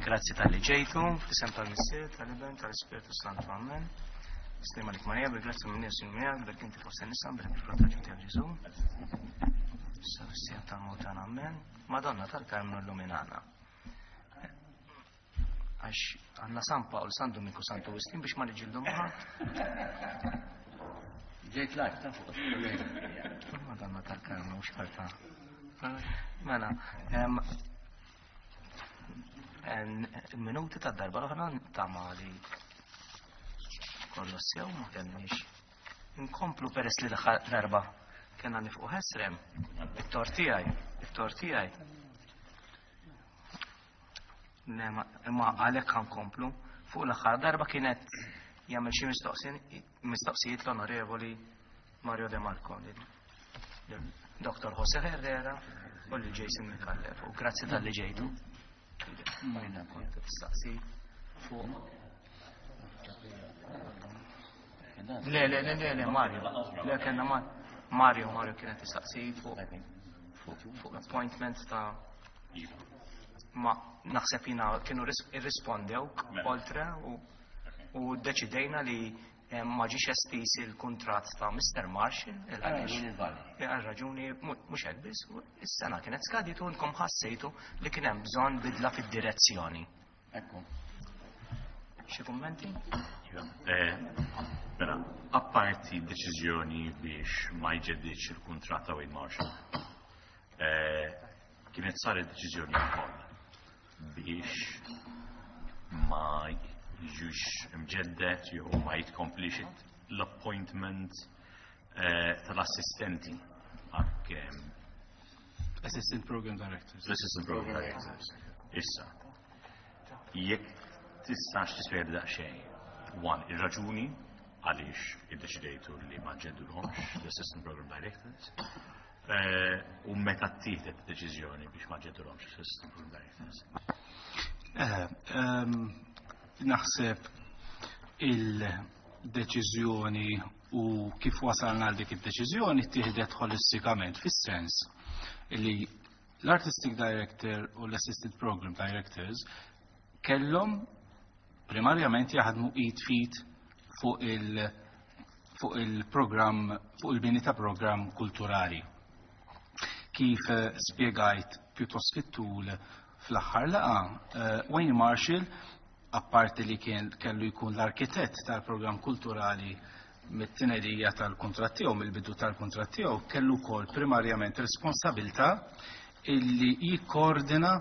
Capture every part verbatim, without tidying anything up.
Grazzi talli ġejtu, f'isem tal-Missier, tal-Iben, tal-Ispirtu Santu, Amen. Sliema għalik Marija, bil-grazzja minn Jessu miegħek, berk inti fost nisa, berk il-frott tiegħek Ġesu. Issa fis-siegħa tal-mewt tagħna, Amen. Madonna tal-Karmnu illuminana. Għax għandna San Pawl, San Dominku, Santu Wistin biex ma niġġieldu ma' ħadd. Ġejt live ta' fuq. Madonna tal-Karmnu, xorta. Mela, em, en- minuti ta' darba l-oħra ta' li kollu sew ma kellniex. Inkomplu peress li l-aħħar darba kena nifqu ħesrem, it-tort tiegħi, it-tort tiegħi. Ne, ma- Imma għalhekk ħankomplu. Fuq l-aħħar darba kienet jagħmel xi mistoqsi- mistoqsijiet l-Onorevoli Mario De Marco, lil- Dr. Jose Herrera u lil Jason Micallef. U grazzi talli ġejtu. Majna kont tistaqsi fuq. Le, le, le, le, le, Mario. Le, kena Ma- Mario, Mario kienet tistaqsi fuq fuq fuq appointment ta' ma naħseb jina kienu ris- irrispondew oltre u u deċidejna li eh, ma ġiex estiż il-kuntratt ta' Mr. Marshall il għaliex għal raġuni mu- mhux hekk biss, u is-sena kienet skadiet u nkom ħassejtu li kien hemm bżonn bidla fid-direzzjoni. Ekku. Xi kummenti? Eh, Mela, apparti deċiżjoni biex ma jġeddidx il-kuntratt ta' Wayne Marshall, eh, kienet saret deċiżjoni wkoll biex ma jiġux imġeddet jew ma jitkomplix l-appointment eh, tal-assistenti għak Assistant Program Directors. l-assistant program directors. Issa, jekk tistax tispjega daqsxejn, one, ir-raġuni għaliex iddeċidejtu li ma ġeddulhomx l-assistant program directors, eh, u meta ttieħdet deċiżjoni biex ma ġeddulhomx l-assistant program directors. Eh, ehm, Naħseb il-deċiżjoni u kif wasalna għal dik id-deċiżjoni ttieħdet holistikament fis-sens li l-Artistic Director u l-Assistant Program Directors kellhom primarjament jaħdmu id f'id fuq il- fuq il-programm fuq il-bini ta' programm kulturali. Kif eh, spiegajt pjuttost fit-tul fl-aħħar laqgħa, eh, Wayne Marshall, apparti li kien kellu jkun l-arkitett tal-programm kulturali mit-tnedija tal-kuntratt tiegħu, mill-bidu tal-kuntratt tiegħu, kellu wkoll primarjament responsabilità illi jikkoordina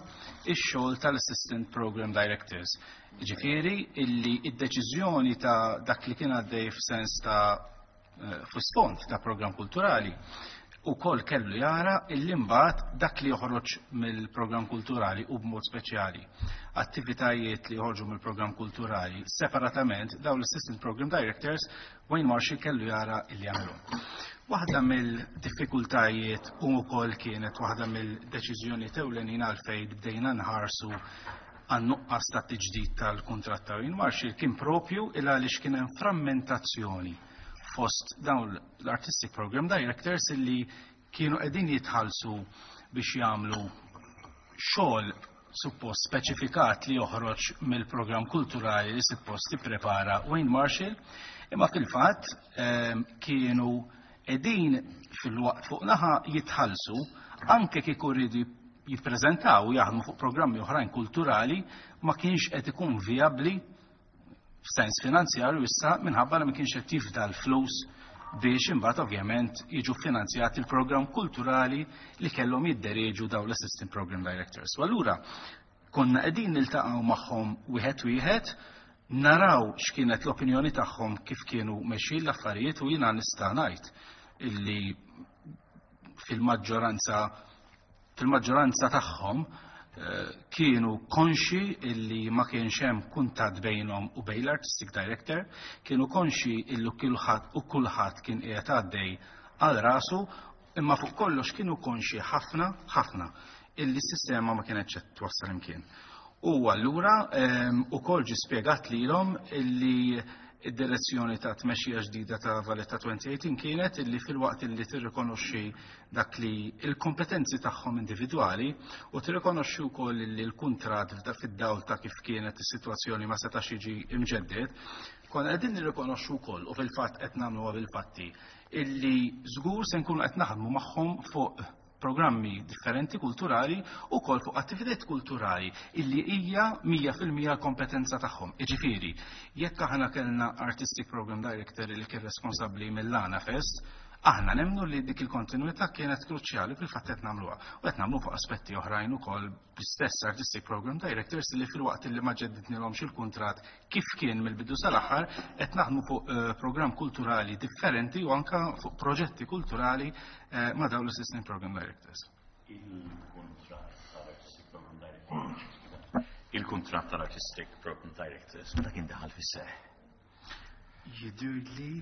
ix-xogħol tal-Assistant Program Directors. Ġifieri illi id-deċiżjoni ta' dak li kien għaddej f'sens ta' eh, f'isfond ta' programm kulturali u koll kellu jara illi mbagħad dak li joħroġ mill-programm kulturali u b'mod speċjali attivitajiet li joħorġu mill-programm kulturali separatament dawn l-Assistant Program Directors Wayne Marshall kellu jara illi jagħmlu. Waħda mill-diffikultajiet u wkoll kienet waħda mill-deċiżjoni ewlenin għalfejn bdejna nħarsu għan-nuqqas ta' tiġdid tal-kuntratt ta' Wayne Marshall kien propju il għaliex kien hemm frammentazzjoni fost dawn l-Artistic Program Directors illi kienu qegħdin jitħallsu biex jagħmlu xogħol suppost speċifikat li joħroġ mill-programm kulturali li suppost tipprepara Wayne Marshall, imma fil-fatt ehm, kienu qegħdin fil-waqt fuq naħa jitħallsu anke kieku rridu jippreżentaw u jaħdmu fuq programmi oħrajn kulturali ma kienx qed ikun vijabbli f'sens finanzjarju issa minħabba li ma kienx qed jifdal flus biex imbagħad ovvjament jiġu finanzjati il-programm kulturali li kellhom jiddereġu dawn l-Assistant Program Directors. U allura konna qegħdin niltaqgħu magħhom wieħed wieħed naraw x'kienet l-opinjoni tagħhom kif kienu mexjin l-affarijiet u jiena nista' ngħid illi fil-maġġoranza fil-maġġoranza tagħhom eh, kienu konxi illi ma kienx hemm kuntatt bejnhom u bejn l-artistic director, kienu konxi illi kulħadd u kulħadd kien qiegħed għaddej għal rasu, imma fuq kollox kienu konxi ħafna ħafna illi s-sistema ma kienx qed twassal imkien. U allura ehm, ukoll ġi spjegat lilhom illi id-direzzjoni ta' tmexxija ġdida ta' Valletta twenty eighteen kienet illi filwaqt illi tirrikonoxxi dak li il-kompetenzi tagħhom individwali u tirrikonoxxi wkoll li l-kuntratt fid-dawl ta' kif kienet is-sitwazzjoni ma setax jiġi imġedded, konna qegħdin nirrikonoxxu wkoll, u fil-fatt qed nagħmluha bil-fatti, illi żgur se nkunu qed naħdmu magħhom fuq programmi differenti kulturali u kol fuq attivitajiet kulturali illi hija mija fil-mija kompetenza tagħhom. Iġifieri, jekk aħna kellna Artistic Program Director li kien responsabbli mill-Għana Fest, aħna nemnu li dik il-kontinuità kienet kruċjali, fil-fatt qed nagħmluha. U qed nagħmlu fuq aspetti oħrajn ukoll bl-istess Artistic Program Directors li filwaqt li ma ġeddidnilhomx il-kuntratt kif kien mill-bidu sal-aħħar, qed naħdmu fuq eh, programm kulturali differenti u anka fuq proġetti kulturali eh, ma' dawn l-Assistant Program Directors. Il-kuntratt tal-Artistic Program Directors. Il-kuntratt tal-Artistic Program Directors, meta kien daħal fis-seħ? Jidhirli,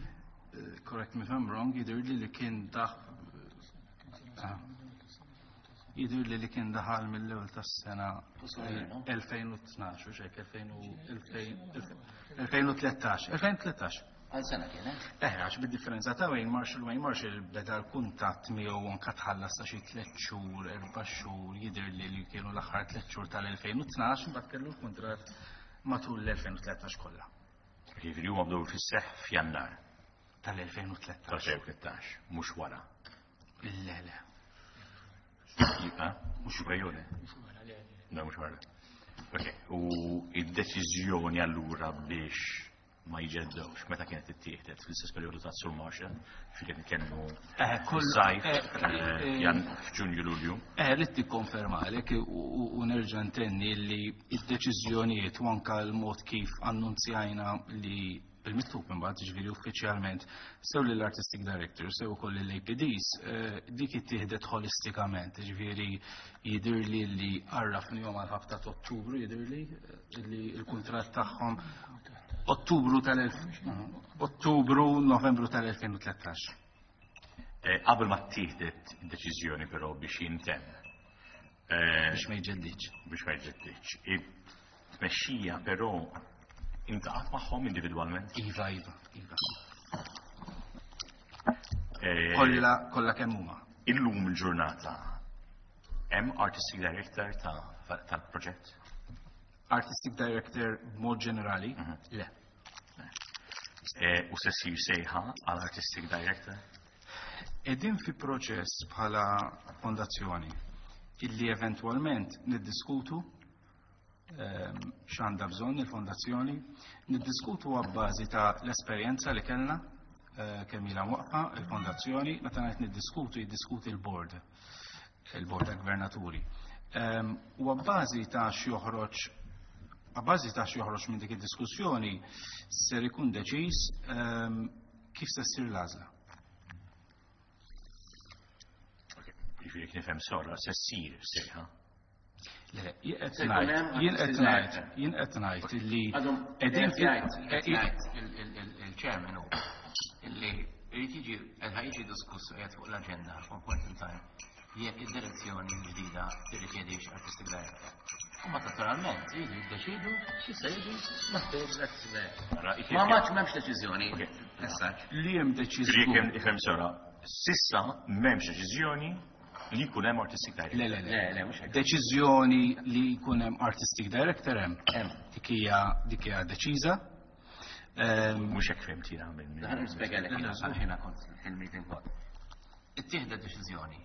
eh, correct me if I'm wrong, jidhirli li kien daħ ah. Jidhirli li kien daħal mill-ewwel tas-sena elfejn u tnax u xek elfejn u tlettax. elfejn u tlettax. Għal sena kien, eh? Eh, għax bid-differenza ta' Wayne Marshall, Wayne Marshall beda l-kuntatt miegħu anka tħallas ta' xi tliet xhur, erba' xhur, jidher li li kienu l-aħħar tliet xhur tal-elfejn u tnax, mbagħad kellu l-kuntratt matul l-elfejn u tlettax kollha. Jiġifieri huma bdew fis-seħ f'Jannar tal-elfejn u tlettax. tal-elfejn u tlettax, mhux wara. Le, le. Jibqa' mhux wara. No, mhux wara. Ok, u id-deċiżjoni allura biex ma jġeddewx, meta kienet ittieħdet? Fl-istess perjodu ta' Sur Marshall, fi kien nitkellmu Eh, kull- sajf, eh, eh, eh, jan f'Ġunju, Lulju. Eh, rrid tikkonfermalek u u nerġa' ntenni li id-deċiżjonijiet u anka l-mod kif annunzjajna li bil-miktub imbagħad, ġifieri uffiċjalment, sew lill-Artistic Director sew ukoll lill-A P Ds, eh, dik ittieħdet holistikament, ġifieri jidhirli li għarrafnihom għal ħabta ta' Ottubru, jidhirli eh, li l-kuntratt tagħhom Ottubru tal Ottubru, Novembru tal-elfejn u tlettax. Eh, Qabel ma ttieħdet id-deċiżjoni però biex jintemm. Eh, Biex ma jġeddidx. Biex ma jġeddidx. It-tmexxija però iltaqgħet magħhom individwalment? Iva, iva, iva. Eh, Kollha kollha kemm huma. Illum il-ġurnata hemm artistic director ta' tal-proġett? Artistic Director b'mod ġenerali? Le. Eh, U se ssir sejħa għal artistic director? Qegħdin fi proċess bħala fondazzjoni illi eventwalment niddiskutu ehm, x'għandha bżonn il-fondazzjoni, niddiskutu għabbażi ta' l-esperjenza li kellna eh, kemm ilha waqfa il-fondazzjoni. Meta ngħid niddiskutu, jiddiskuti l-board, il-board ta' gvernaturi. Ehm, U għabbażi ta' x'joħroġ għabbażi ta' x'joħroġ minn dik id-diskussjoni ser ikun deċiż ehm, kif se ssir l-għażla. Jiġifieri jekk nifhem sewwa, se ssir sejħa. Le, jien qed Se jkun ngħid, hemm jien qed artistic ngħid, director. jien qed ngħid illi Għadhom, qegħdin qed jgħid, qed fi jgħid il- il- il- il-chairman hu illi irid jiġi qed jiġi diskuss, qiegħed fuq l-aġenda at one point in time jekk id-direzzjoni l-ġdida tirrikjedix artistic director. U ma naturalment jridu jiddeċidu x'se jiġi maħtur l-artistic director. Ara, jekk- Ma maċ m'hemmx deċiżjoni Ok. essaċ. Li hemm Jiġifieri deċiż. jekk nifhem sewwa, s'issa m'hemmx deċiżjoni li jkun hemm artistic director. Le, le, le. Le, le, mhux hekk. Deċiżjoni li jkun hemm artistic director hemm. Hemm. Dik hija dik hija deċiża. Ehm, Mhux hekk fhimt jiena minn. Ħa nispjegalek jiena għax jiena kont fil-meeting kont. Ittieħdet deċiżjoni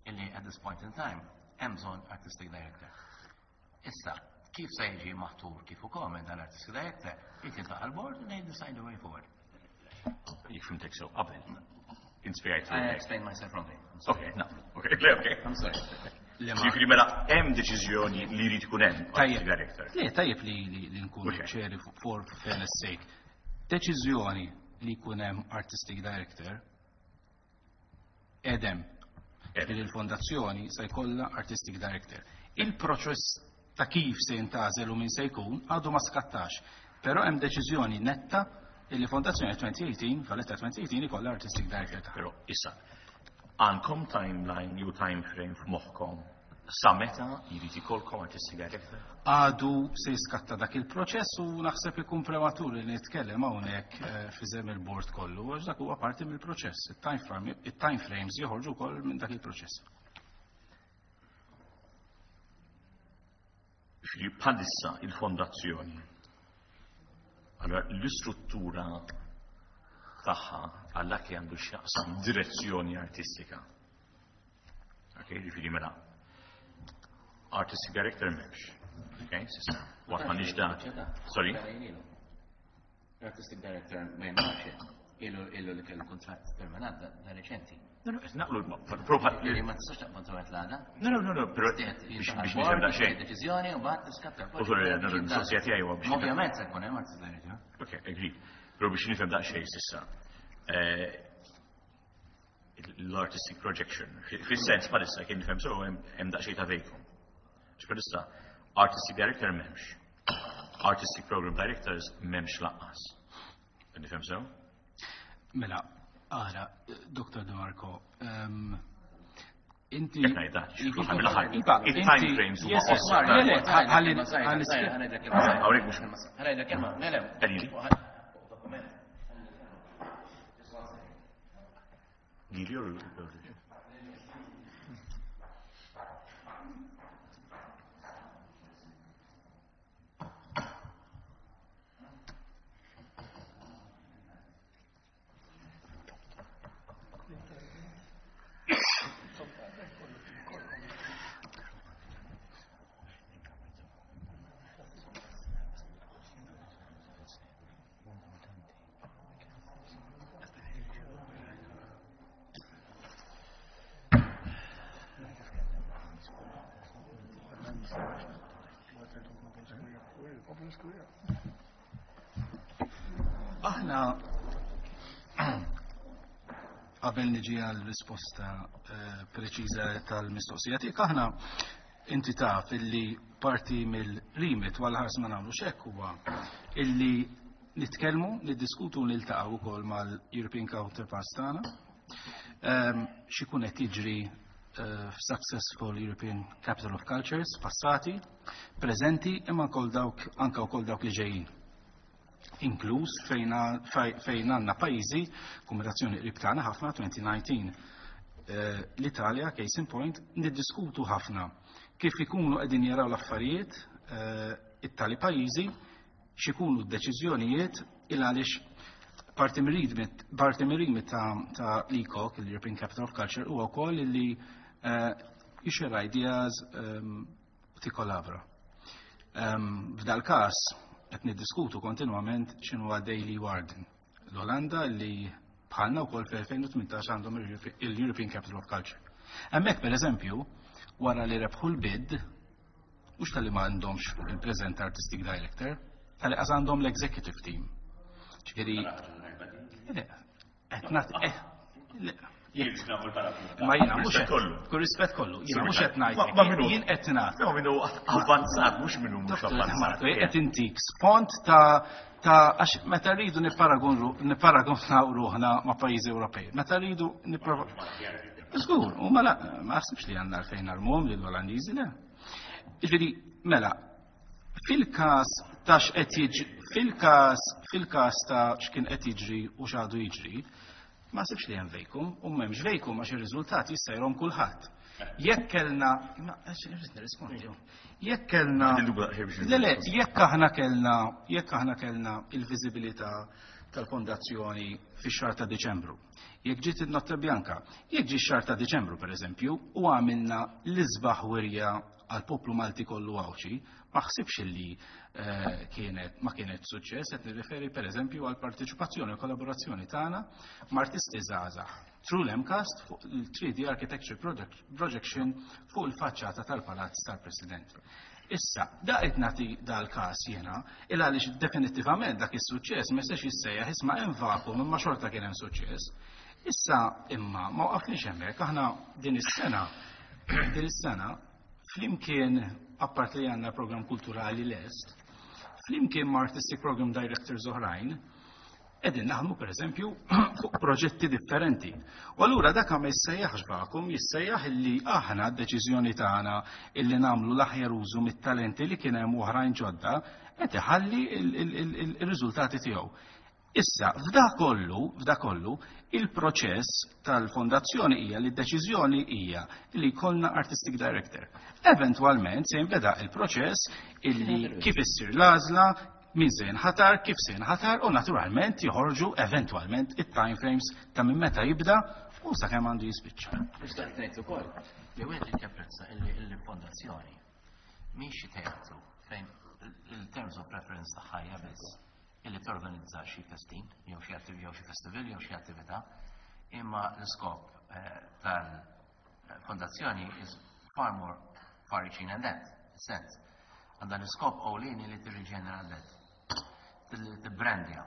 illi at this point in time hemm bżonn artistic director. Issa, kif se jiġi maħtur, kif ukoll minn dan artistic director, jrid jiltaqa' l-board and they decide the way forward. Jekk fhimtek sew qabel. Inspjegajt. I explained myself wrongly. I'm sorry. Ok, no. Ok, le, ok. I'm sorry. Le ma- Jiġifieri mela hemm deċiżjoni li jrid ikun hemm artistic Tajjeb. director. Le, tajjeb li li li nkunu Ok. ċeri for fairness sake. Deċiżjoni li jkun hemm artistic director hemm. Hemm. Il-fondazzjoni se jkollha artistic director. Il-proċess ta' kif se jintgħażel u min se jkun għadu ma skattax. Però hemm deċiżjoni netta li fondazzjoni elfejn u tmintax, Valletta elfejn u tmintax, ikollha artistic director tagħha. Però issa, għandkom timeline jew time frame f'moħħkom Sa meta jrid ikollkom artistic director? Għadu se jiskatta dak il-proċess u naħseb ikun prematur li nitkellem hawnhekk eh, f'isem il-bord kollu, għax dak huwa parti mill-proċess. Il-time frames joħorġu wkoll minn dak il-proċess. Bħalissa il-fondazzjoni. Allora l-istruttura tagħha għal dak li għandu x'jaqsam direzzjoni artistika. Ok, ġifieri mela artistic director m'hemmx. Ok, s'issa. Waqt ma nix dat. Sorry? Artistic director ma jemmax ilu ilu li kellu kontratt permanent da reċenti. No, no, naqlu prova. Ma tistax taqbad toqgħod l-għada. No, no, no, no, però biex biex nifhem daqsxejn. Deċiżjoni u mbagħad tiskatta. U sorry, no, no, mistoqsija tiegħi huwa biex. Ovvjament se jkun hemm artistic director. Ok, agreed. Però biex nifhem daqsxejn s'issa. L-artistic projection. Fis-sens bħalissa kien nifhem so hemm daqsxejn ta' vacuum. Bħalissa artistic director m'hemmx. Artistic program directors m'hemmx lanqas. Nifhem sew? Mela, ara, Dottor De Marco, inti. Jekk ngħidha, il-time frames huma qosra. Ħalli Hawnhekk mhux. Ħa kelma, le le. Lili jew Aħna qabel niġi għal risposta preċiża tal-mistoqsija tiegħek, aħna inti taf illi parti mill-remit wara ħars ma nagħmlu xekk huwa illi nitkellmu, niddiskutu u niltaqgħu wkoll mal-European Counterparts tagħna. X'ikun qed jiġri f'Successful European Capital of Cultures passati, preżenti, imma wkoll dawk anke wkoll dawk li ġejjin. Inkluż fejn għandna pajjiżi, kombinazzjoni qrib tagħna ħafna twenty nineteen. L-Italja, case in point, niddiskutu ħafna kif ikunu qegħdin jaraw l-affarijiet it-tali pajjiżi, x'ikunu d-deċiżjonijiet il għaliex parti mir-rimit ta' l-E C O C, l-European Capital of Culture, huwa wkoll li jixxerja ideas u tikkollabora. F'dal każ qed niddiskutu kontinwament x'inhu għaddej Leeuwarden. L-Olanda li bħalna wkoll fl-elfejn u tmintax għandhom il-European Capital of Culture. Hemmhekk pereżempju, wara li rebħu l-bid, mhux tal-li ma għandhomx il-present artistic director, tal-li qas għandhom l-executive team. Ġifieri, le, qed nagħti, eh, le. Ma jiena mhux kull rispett kollu, jiena mhux qed ngħid. Jien qed ngħid. No, minnu avvanzat, mhux minnu mhux avvanzat. Qed intik spont ta' ta' għax meta rridu nipparagunaw ruħna ma' pajjiżi Ewropej. Meta rridu nipparagunaw. Żgur, u mela ma naħsibx li għandna għalfejn narmuhom lill-Olandiżi, le. Ġifieri, mela, fil-każ ta' x'qed jiġri, fil-każ fil-każ ta' x'kien qed jiġri u x'għadu jiġri, ma sibx li hemm vacuum, u m'hemmx vacuum għax ir-riżultat jista' jrahom kulħadd. Jekk kellna, ma irrid nirrispondi. Jekk kellna, le le, jekk aħna kellna, jekk aħna kellna il-viżibilità tal-fondazzjoni fix-xahar ta' Diċembru. Jekk ġiet in-Notte Bianca, jekk ġie x-xahar ta' Diċembru pereżempju, u għamilna l-isbaħ wirja għal poplu Malti kollu Għawdxi, ma ħsibx li kienet ma kienet suċċess, qed nirreferi pereżempju għal parteċipazzjoni u kollaborazzjoni tagħna ma' artisti żgħażagħ through l-MCAST fuq il-three D Architecture Projection fuq il-faċċata tal-Palazz tal-President. Issa, da qed nagħti dal-każ jiena, il għaliex definittivament dak is-suċċess ma jistax jissejjaħ isma' hemm vacuum imma xorta kien hemm suċċess. Issa imma ma waqafniex hemmhekk, aħna din is-sena din is-sena flimkien, apart li għandna program kulturali lest, flimkien ma' Artistic Program Directors oħrajn, Qegħdin naħdmu, pereżempju, fuq proġetti differenti. U allura dak ma jissejjaħx vacuum, jissejjaħ illi aħna d-deċiżjoni tagħna illi nagħmlu l-aħjar użu mit-talenti li kien hemm oħrajn ġodda qed iħalli il-riżultati tiegħu. Issa, f'da kollu, f'da kollu, il-proċess tal-fondazzjoni hija li d-deċiżjoni hija li jkollna artistic director. Eventualment se jinbeda il-proċess illi kif issir l-għażla, min se jinħatar, kif se jinħatar u naturalment joħorġu eventualment it-time frames ta' minn meta jibda u sakemm għandu jispiċċa. Nixtieq ngħid ukoll li wieħed japprezza illi il-fondazzjoni mhix xi teatru fejn il-terms of reference tagħha hija biss illi torganizza xi festin jew xi jew xi festival jew xi attività, imma l-iskop eh, tal-fondazzjoni is far more far-reaching than that, sense. Għandha l-iskop ewlieni li tirriġenera l-belt, tibbrandja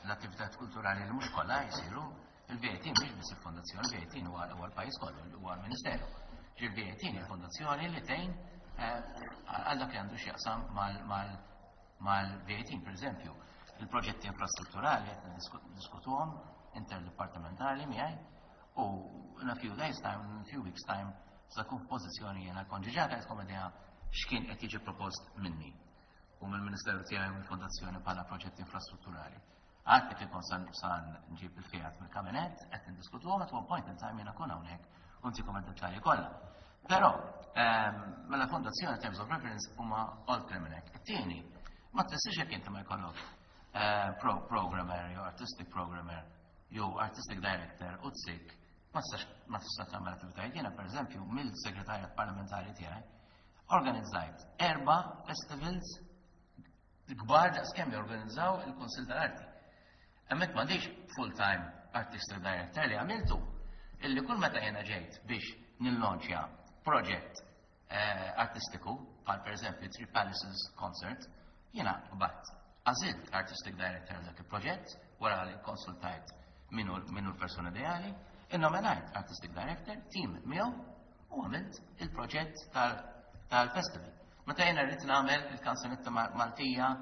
l-attività kulturali li mhux kollha jsiru. Il-V eighteen mhix biss il-fondazzjoni, il-V eighteen huwa l-pajjiż kollu, huwa l-Ministeru. Il-V eighteen il-fondazzjoni li tgħin eh, għal dak li għandu x'jaqsam mal-V eighteen, per eżempju, il-proġetti infrastrutturali qed diskutuhom interdepartamentali miegħi u in a few days' time, in a few weeks' time, sa tkun f'pożizzjoni jiena konġiġata qed idea x'kien qed jiġi propost minni u mill-Ministeru tiegħi u mill-Fondazzjoni bħala proġetti infrastrutturali. Għad kif ikun san san nġib il-fiat mill-kabinet, qed niddiskutuhom, at one point in time jiena kun hawnhekk u ntikom id-dettalji kollha. Però, ehm, mela fondazzjoni terms of reference huma oltre minn hekk. It-tieni, ma tfissirx jekk inti ma jkollok eh, pro programmer jew artistic programmer jew artistic director u tsik ma tistax ma tistax tagħmel attivitajiet. Jiena, pereżempju, mill-segretarjat parlamentari tiegħi organizzajt erba' festivals kbar daqs kemm jorganizzaw il-Kunsill tal-Arti. Hemmhekk m'għandix full-time artistic director. Li għamiltu illi kull meta jiena ġejt biex nillonċja proġett eh, artistiku, bħal per eżempju Three Palaces Concert, jiena bat għażilt artistic director dak il-proġett, wara li konsultajt minu minu l-persona ideali, innominajt artistic director, team miegħu u għamilt il-proġett tal-festival. Meta jiena rrid nagħmel il-kanzunetta Maltija,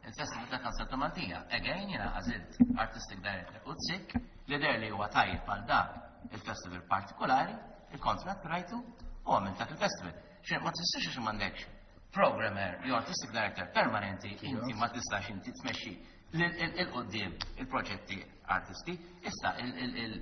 il-festival ta' kanzunetta Maltija, again jiena għażilt artistic director u tsik li der li huwa tajjeb għal dak il-festival partikolari, il-kontrat rajtu u għamilt dak il-festival. Xe ma tistax għax m'għandekx programmer jew artistic director permanenti, inti ma tistax inti tmexxi il-qoddim il-proġetti artisti. Issa il-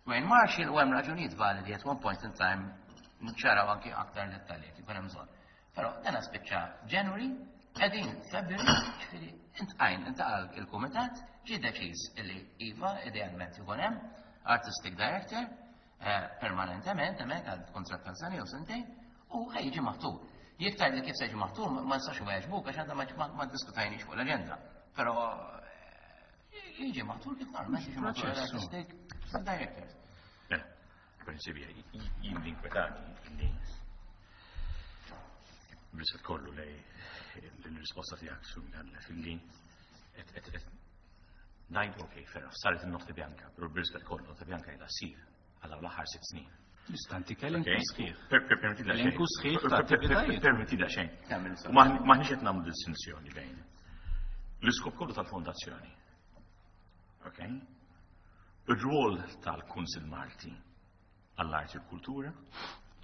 Wayne Marshall u hemm raġunijiet validi, at one point in time nċaraw anki aktar dettalji kif hemm bżonn. Però dan spiċċa January, qegħdin February, ġifieri intqajn intaqal il-kumitat, ġie deċiż illi iva, idealment ikun hemm artistic director eh, permanentement hemmhekk għal kontratt ta' sena jew sentejn u ħa jiġi maħtur. Jekk tgħid li kif se jiġi maħtur, ma nistax inweġbuk għax għadna ma diskutajniex fuq l-aġenda. Però eh, jiġi maħtur kif normalment jiġi maħtur artistic director. Eh, prinċipju, jien l-inkwetani li brisat kollu lej l-risposta tiegħek, Sur Micallef, illi ngħidu, ok, ferra, saret il-Notte Bianca, pero brisat kollu, Notte Bianca ila ssir għal l-aħħar sitt snin. Istanti elenku sħiħ. Permetti Elenku sħiħ ta' attivitajiet. Permetti daqsxejn. Maħniex qed nagħmlu distinzjoni bejn l-iskop kollu tal-fondazzjoni. Ok? Ir-rwol tal-Kunsil Malti għall-Arti u l-Kultura.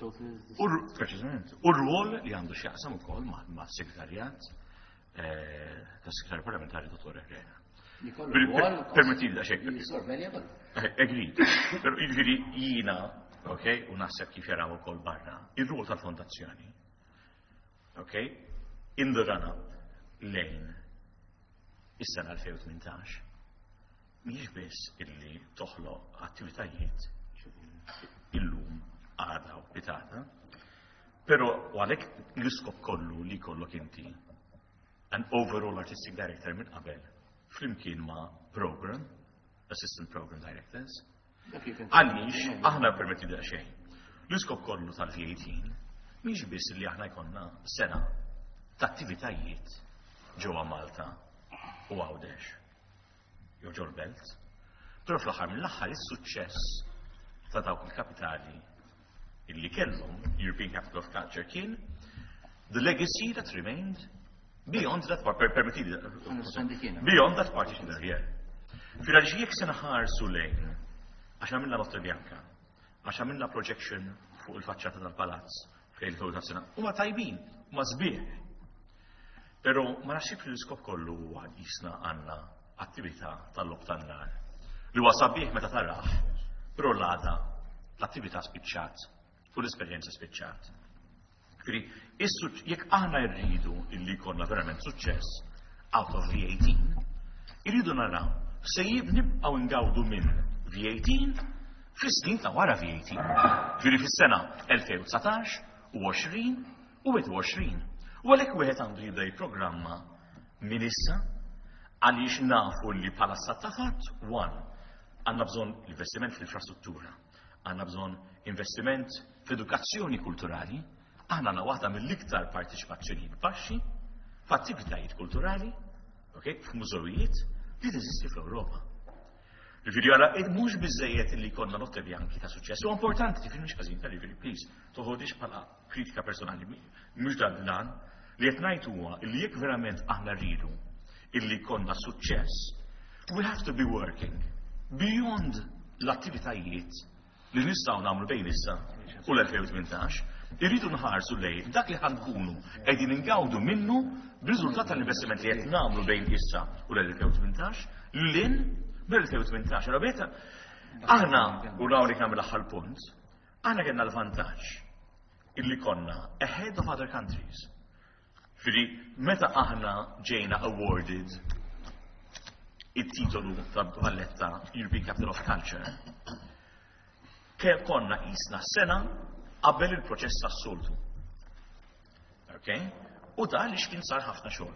U preċiżament, u r-rwol li għandu x'jaqsam ukoll ma' segretarjat eh, tas-segretarju parlamentari Dottor Herrera. Permetti daqsxejn. Agreed. Pero jiġifieri jiena, ok, u naħseb kif jaraw ukoll barra, ir-rwol tal-fondazzjoni, ok, in the run-up lejn is-sena elfejn u tmintax, mhijiex biss illi toħloq attivitajiet illum, għada u pitgħada, pero u għalhekk l-iskop kollu li kollok inti an overall artistic director minn qabel flimkien ma' program, assistant program directors, għaliex aħna, permetti daqsxejn. L-iskop kollu tal-V eighteen mhix biss li aħna jkollna sena ta' attivitajiet ġewwa Malta u Għawdex jew ġol belt, però fl-aħħar mill-aħħar is-suċċess ta' dawk il-kapitali illi kellhom European Capital of Culture kien the legacy that remained beyond that part, permetti, beyond that particular year. Fil jekk se nħarsu lejn, għax għamilna Notte Bianca, għax għamilna projection fuq il-faċċata tal-palazz fejn il sena, huma tajbin, huma sbieħ. Però ma naħsibx li l-iskop kollu huwa jisna għandna attività tal-logħob tan-nar. Li huwa sabiħ meta tarah, però l-għada l-attività spiċċat u l-esperjenza spiċċat. Ġifieri, jekk aħna rridu illi jkollna verament suċċess out of V eighteen, irridu naraw se nibqgħu ngawdu minn V eighteen fis-snin ta' wara V eighteen. Ġifieri fis-sena elfejn u dsatax u għoxrin u wieħed u għoxrin. U għalhekk wieħed għandu jibda jipprogramma minn issa, għaliex nafu li bħala stat ta' fatt, one, għandna bżonn investiment fl-infrastruttura, għandna bżonn investiment fl-edukazzjoni kulturali, aħna għandna waħda mill-iktar partiċipazzjoni baxxi f'attivitajiet kulturali, ok, f'mużewijiet li teżisti fl-Ewropa. Ġifieri għara, mhux biżejjed li jkollna Notte Bianchi ta' suċċess, u importanti, ġifieri mhux ħażin, ġifieri please, toħodix bħala kritika personali, mhux dan lan, li qed ngħid huwa li jekk verament aħna rridu illi jkollna suċċess, we have to be working beyond l-attivitajiet li nistgħu nagħmlu bejn issa u l-elfejn u tmintax, irridu nħarsu lejn dak li ħa nkunu qegħdin ingawdu minnu b'riżultat tal-investiment li qed nagħmlu bejn issa u l-elfejn u tmintax lin mill-elfejn u tmintax. Allora beta aħna u hawnhekk nagħmel l-aħħar punt, aħna kellna l-vantaġġ illi konna ahead of other countries. Ġifieri, meta aħna ġejna awarded it-titolu ta' Valletta European Capital of Culture, ke konna jisna sena qabel il-proċess tas-soltu. Ok? U da li kien sar ħafna xogħol.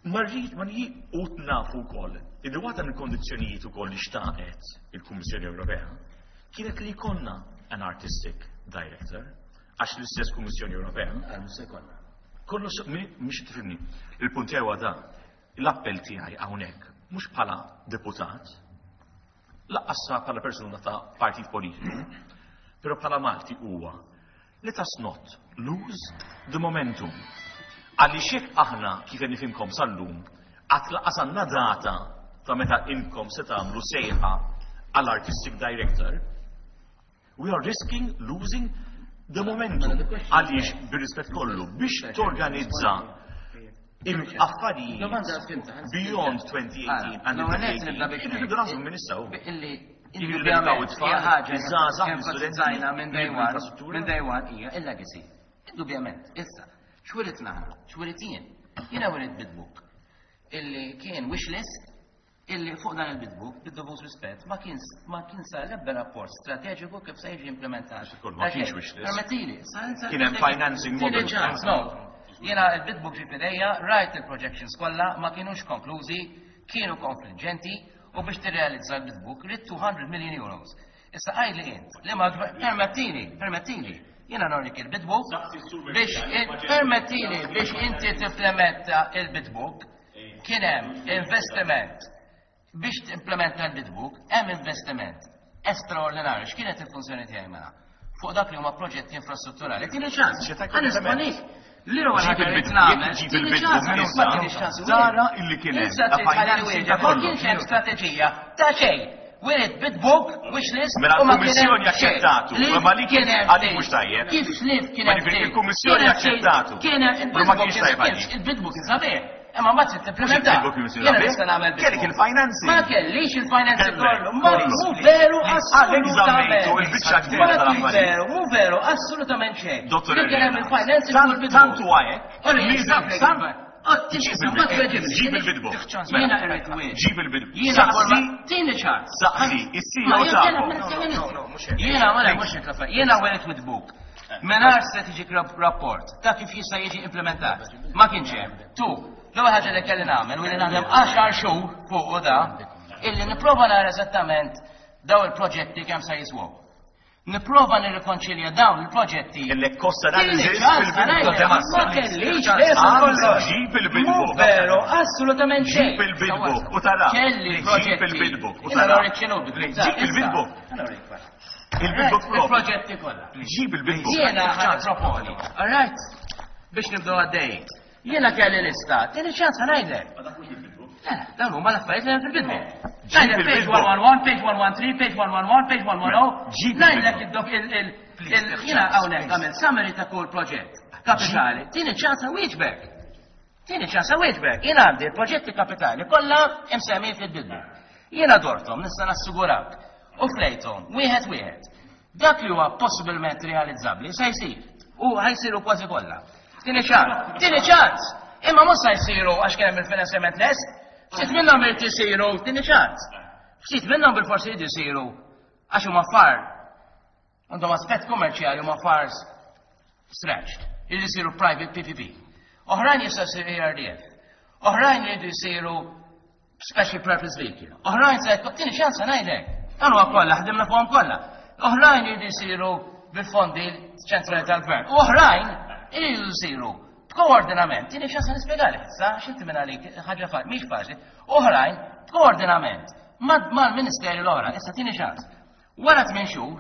Marrid ma u nafu wkoll illi waħda mill-kondizzjonijiet ukoll li xtaqet il-Kummissjoni Ewropea kienet li jkollna an artistic director, għax l-istess Kummissjoni Ewropea Mhux se jkollna. Kollu mhux tifhimni. Il-punt tiegħu da, l-appell tiegħi hawnhekk mhux bħala deputat, lanqas bħala persuna ta' partit politiku, però bħala Malti huwa let us not lose the momentum. Għaliex jekk aħna kif qed nifhimkom sal-lum, għad lanqas għandna data ta' meta inkom se tagħmlu sejħa għall-artistic director, we are risking losing the momentum. Għaliex bir-rispett kollu biex torganizza il-affarijiet beyond twenty eighteen and twenty eighteen, irridu naħsbu minn issa. Illi Irridu nedukaw it-tfal, iż-żgħażagħ, l-istudenti, minn day one, l-infrastruttura. Minn day one hija il-legacy. Indubjament, issa, x'wirit naħna, x'wirit jien? Jiena wirit bid book illi kien wish list, illi fuq dan il-bid book, bid-dovut rispett, ma kien ma kien sar l-ebda rapport strateġiku kif se jiġi implementat. Ma kienx wish list. Permettili. Kien hemm financing model. Tieni ċans, no. Jiena il-bid book ġie f'idejja, rajt il-projections kollha, ma kienux konklużi, kienu konfliġenti, u biex tirrealizza l-bid book ridt two hundred million euros. Issa għidli int, li ma permettili, permettili, jiena norik il-bid book biex permettili biex inti timplementa il-bid book, kien hemm investiment biex timplementa l-bid book, hemm investiment estraordinarju. X'kienet il-funzjoni tiegħi mela? Fuq dak li huma proġetti infrastrutturali. Tieni ċans. Xi Ħa nisponik. Li huwa Ġib ħaġa li il-bid- nagħmel. jekk ġib Tieni il-bid ċans, book ma issa, tieni ċans. tara illi kien hemm Issa ta' trid tħalli financing wieġeb. ta' Ma kollox. kienx hemm strateġija ta' xejn. Wirid bid book, wish list, Mela u ma kien l-Kummissjoni hemm xejn. aċċettatu, Li ma li kien hemm għalik xejn. mhux tajjeb. Kif xlif kien Ma hemm ġifieri xejn. il-Kummissjoni Kien hemm xejn. aċċettatu. Kien hemm Però ma il-bid book kienx tajjeb għalik. il-bid book sabiħ. Imma ma trid timplementa. Il-bid book kien Jiena sabiħ. nista' nagħmel bid Kellek book. il-financing. Ma kellix il-financing Kellek, kollu. Ma kollu. mhu veru Għalhekk żammejtu assolutament. il-biċċa kbira Ma kien tal-affarijiet. veru, mhu veru, assolutament xejn. Dottor Li kien hemm Herrera, il-financing tant- fuq il-bid book. tant huwa hekk, Ori, li stop, tant- Ġib il-bid- ġib il-bid book. Jiena irrid wieġ. Ġib il-bid book. Jiena Saqsi- forma- Tieni ċans. Saqsi, is-C E O Ma jien tagħkom. kellem- No, no, mhux hekk. Jiena ma mhux hekk l-affarijiet. Jiena wirid bid book mingħajr strategic rap- rapport ta' kif jista' jiġi implementat. Ma kienx hemm. Tu, l-ewwel ħaġa li kelli nagħmel u li naħdem għaxar xhur fuq u da, illi nipprova nara eżattament daw il-proġetti kemm se jiswew. Nipprova nirrikonċilja dawn il-proġetti. Kellek cost Tieni analysis ċans, fil-bidu ta' għalajja, temassa. ma kellix Għandek ġib il-bid Mhu book. veru, assolutament xejn. Ġib il-bid book u tara. Kelli Ġib proġetti. il-bid book u Jiena tara. norik x'inhu bid book. Ġib il-bid book. Il-bid book propju. Il-proġetti kollha. Ġib il-bid book. Jiena ħa proponi. All right? Biex nibdew għaddej. Jiena kelli lista. Tieni ċans ħa ngħidlek. Le, dawn huma l-affarijiet li hemm fil-bid book. Ngħidlek page one one one, page one one three, page one one one, page one one zero. Ngħidlek id-dok il- jiena hawnhekk għamil summary ta' kull proġett kapitali. Tini ċans wieġbek. Tini ċans wieġbek. Jiena għandi l-proġetti kapitali kollha imsemmin fil-bid book. Jiena dortom, nista' nassigurak. U flejtom, wieħed wieħed. Dak li huwa possibilment realizzabbli se jsir. U ħa jsiru kważi kollha. Tini ċans, tini ċans. Imma mhux se jsiru għax kien hemm il-finanzjament lest. Ftit minnhom irid isiru, tini ċans. Ftit minnhom bil-forsi jridu jsiru għax huma far għandhom aspett kummerċjali, huma far stretched. Jridu jsiru private P P P. Oħrajn jistgħu jsiru E R D F. Oħrajn jridu jsiru special purpose vehicle. Oħrajn se tini ċans ngħidlek. Dan huwa kollha, ħdimna fuqhom kollha. Oħrajn jridu jsiru bil-fondi ċentrali tal-gvern. U oħrajn jridu jsiru b'koordinament. Tini ċans nispjegalek issa, għax inti minn għalik ħaġa fa mhix faċli. Oħrajn b'koordinament mal-ministeri l-oħra, issa tini ċans. Wara tmien xhur,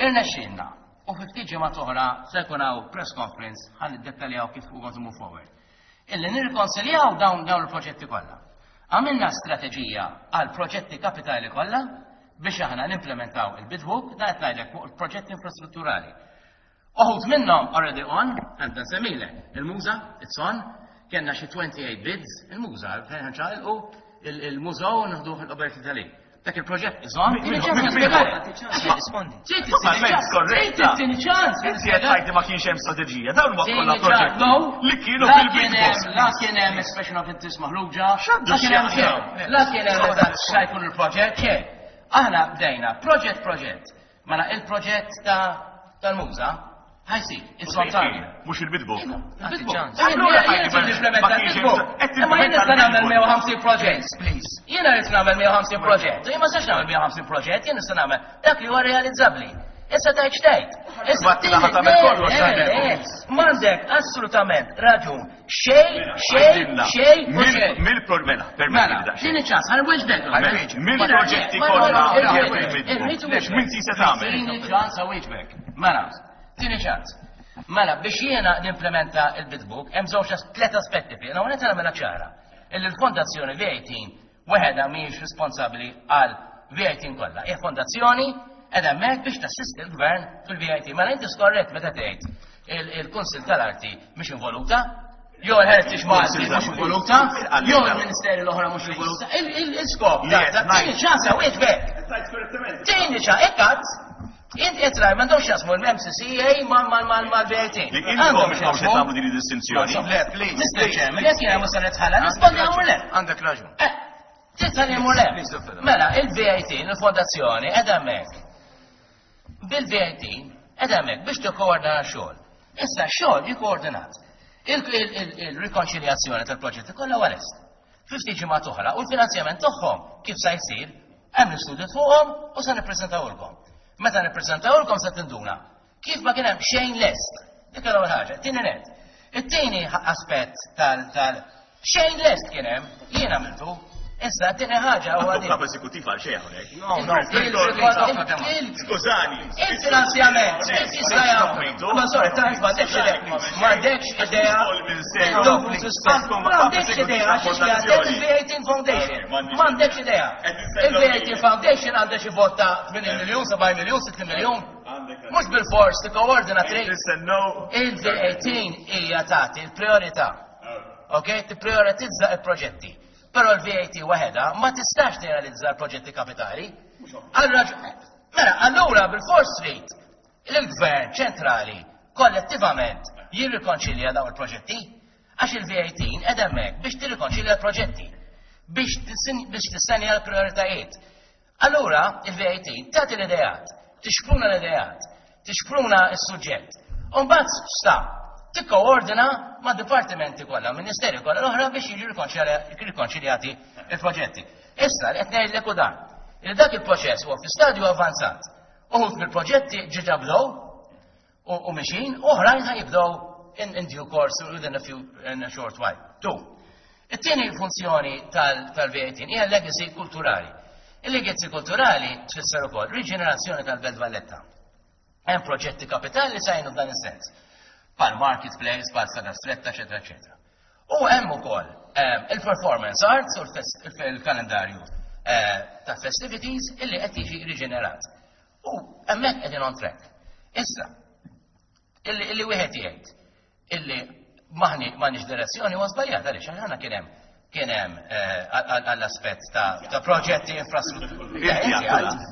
irnexxinna u fi ftit ġimgħat oħra se jkun hawn press conference ħa niddettaljaw kif we're going to move forward. Illi nirrikonsiljaw dawn dawn il-proġetti kollha. Għamilna strateġija għal proġetti kapitali kollha biex aħna nimplementaw il-bid book, da qed ngħidlek fuq il-proġetti infrastrutturali. Uħud minnhom already on, għandna nsemmilek, il-Muża, it's on, kellna xi twenty-eight bids, il-Muża, fejn ħanċaqilqu il-mużew nieħduh il-Roberti Dalì. Dak il-proġett is on. Rispondi. Tini ċans. Inti qed tgħid ma kienx hemm strateġija, dawn huma kollha proġetti li kienu La fil-bid kien hemm la kien hemm expression of interest maħruġa, la kien hemm xejn, la kien hemm eżatt x'ha jkun il-proġett, xejn. Aħna bdejna proġett proġett. Mela il-proġett ta' tal-Muża ħa jsir, it's on target. Mhux il-bid book. Allura jien nimplementa il-bid book. Imma jien nista' nagħmel mija u ħamsin proġett. Please. Jiena rrid nagħmel mija u ħamsin proġett. Jien ma nistax nagħmel mija u ħamsin proġett, jien nista' nagħmel dak li huwa realizzabbli. Issa tajt xtejt. Issa Ma tlaħa tagħmel kollox, tagħmel. M'għandek assolutament raġun. Xejn, xejn, xejn u xejn. Mill-mela, permetti Mela, daqsxejn. din iċ-ċans, ħa nwieġbek. Mill-proġetti kollha li hemm fil-bid book. X'min se tagħmel? Tini ċans wieġbek. Mela, tini ċans. Mela, biex jiena nimplementa il-bid book, hemm żewġ tliet aspetti fih. Hawnhekk nagħmilha ċara. Illi l-Fondazzjoni V eighteen weħedha mhijiex responsabbli għal V eighteen kollha. Hija fondazzjoni qed hemmhekk biex tassisti l-gvern fil-V A T. Mela inti skorrett meta tgħid il-Kunsil tal-Arti mhix involuta, jew il-Heritage Malti mhux involuta, jew il-Ministeri l-oħra mhux involuta. Il-skop, tini ċans wieġbek. Tini ċans, ikkat, inti qed raj m'għandhomx jasmu l-M C C A mal-V A T. Li intom mhux qed tagħmlu din id-distinzjoni. Le, please. Mister Chairman, jekk jiena mhux se nitħalla, nispondi għamur le. Għandek raġun. Tista' nimur le. Please, Doctor. Mela, il-V A T, il-fondazzjoni, qed hemmhekk. Bil-V A T, qed hemmhekk biex tikkoordina xogħol. Issa xogħol jikkoordinat. Il-rikonċiljazzjoni tal-proġetti kollha huwa lest. Fi ftit ġimgħat oħra u l-finanzjament tagħhom kif sa jsir, hemm l-istudju fuqhom u se nippreżentawlkom. Meta nippreżentawlkom se tinduna kif ma kien hemm xejn lest. Dik l-ewwel ħaġa. Tieni net. It-tieni aspett tal tal xejn lest kien hemm, jien għamiltu. Issa t-tieni ħaġa huwa Għandu din. kap eżekutiv għal xejn hawnhekk. No, no, please. Skużani. Il-finanzjament, kif jista' jagħmel? Ma sorry, tajt m'għandekx idea. M'għandekx idea. M'għandekx idea għax il-V eighteen Foundation. M'għandekx idea. Il-V eighteen Foundation għandha xi vot ta' tmenin miljun, sebgħin miljun, sittin miljun. Mhux bil-fors tikkoordina trid. Il-V eighteen hija tagħti l-priorità. Ok? Tipprioritizza il-proġetti. Però il-V A T waħedha ma tistax tirrealizza l-proġetti kapitali. Allura, mela, allura bil-fors trid il-gvern ċentrali kollettivament jirrikonċilja dawn il-proġetti, għax il-V A T qed hemmhekk biex tirrikonċilja l-proġetti, biex biex tissenja l-prioritajiet. Allura il-V A T tagħti l-ideat, tixpruna l-ideat, tixpruna s-suġġett. U mbagħad sta tikkoordina ma' dipartimenti kollha, ministeri kollha l-oħra biex jiġu rikonċiljati il-proġetti. Issa li qed ngħidlek u dan, li dak il-proċess huwa fi stadju avanzat. Uħud mill-proġetti ġiġa bdew u u mixin, oħrajn ħa jibdew in, in due course within a few in a short while. Two. It-tieni funzjoni tal-V eighteen hija legacy kulturali. Il-legacy kulturali tfisser ukoll riġenerazzjoni tal-Belt Valletta. Hemm proġetti kapitali li sajnu f'dan is-sens. Pal marketplace, pal Strada Stretta, eċetera, eċetera. U hemm ukoll il-performance arts u il-kalendarju ta' festivities illi qed jiġi riġenerat. U hemmhekk qegħdin on track. Issa, illi wieħed jgħid illi maħni m'għandniex direzzjoni huwa żbaljat għaliex aħna kien hemm kien hemm għall-aspett ta' proġetti infrastruttura.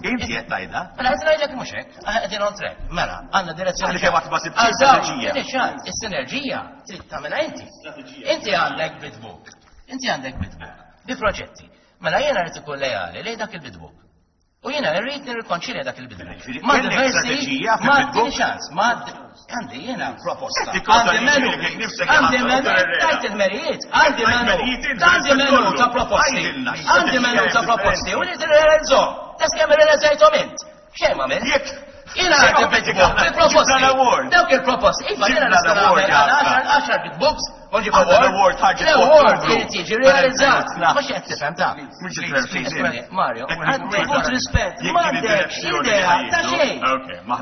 Inti qed tgħidha? Mela qed ngħidlek mhux hekk, qegħdin on track. Mela, għandna direzzjoni. Għaliex ma sibtx strateġija. Is-sinerġija trid tagħmilha inti. Inti għandek bid book. Inti għandek bid book. Bi proġetti. Mela jiena rrid ikun lejali lejn dak il-bid book. U jiena rrid nirrikonċilja dak il-bid book. Ma diversi, ma ċans, ma għandi jiena proposta. Għandi menu, għandi menu, tajt il-merijiet, għandi menu, għandi menu ta' proposti, għandi menu ta' proposti, u li t-realizzom, tas kemm realizzajtom int. Xejn ma minn. Jiena għandi bid book, bi proposti. Dawk il-proposti, iva jiena nista' nagħmel għaxar bid books, Unġib award, l-award irid jiġi realizzat. Mhux qed tifhem ta'. Mario, għandi rispett, m'għandekx idea ta' xejn.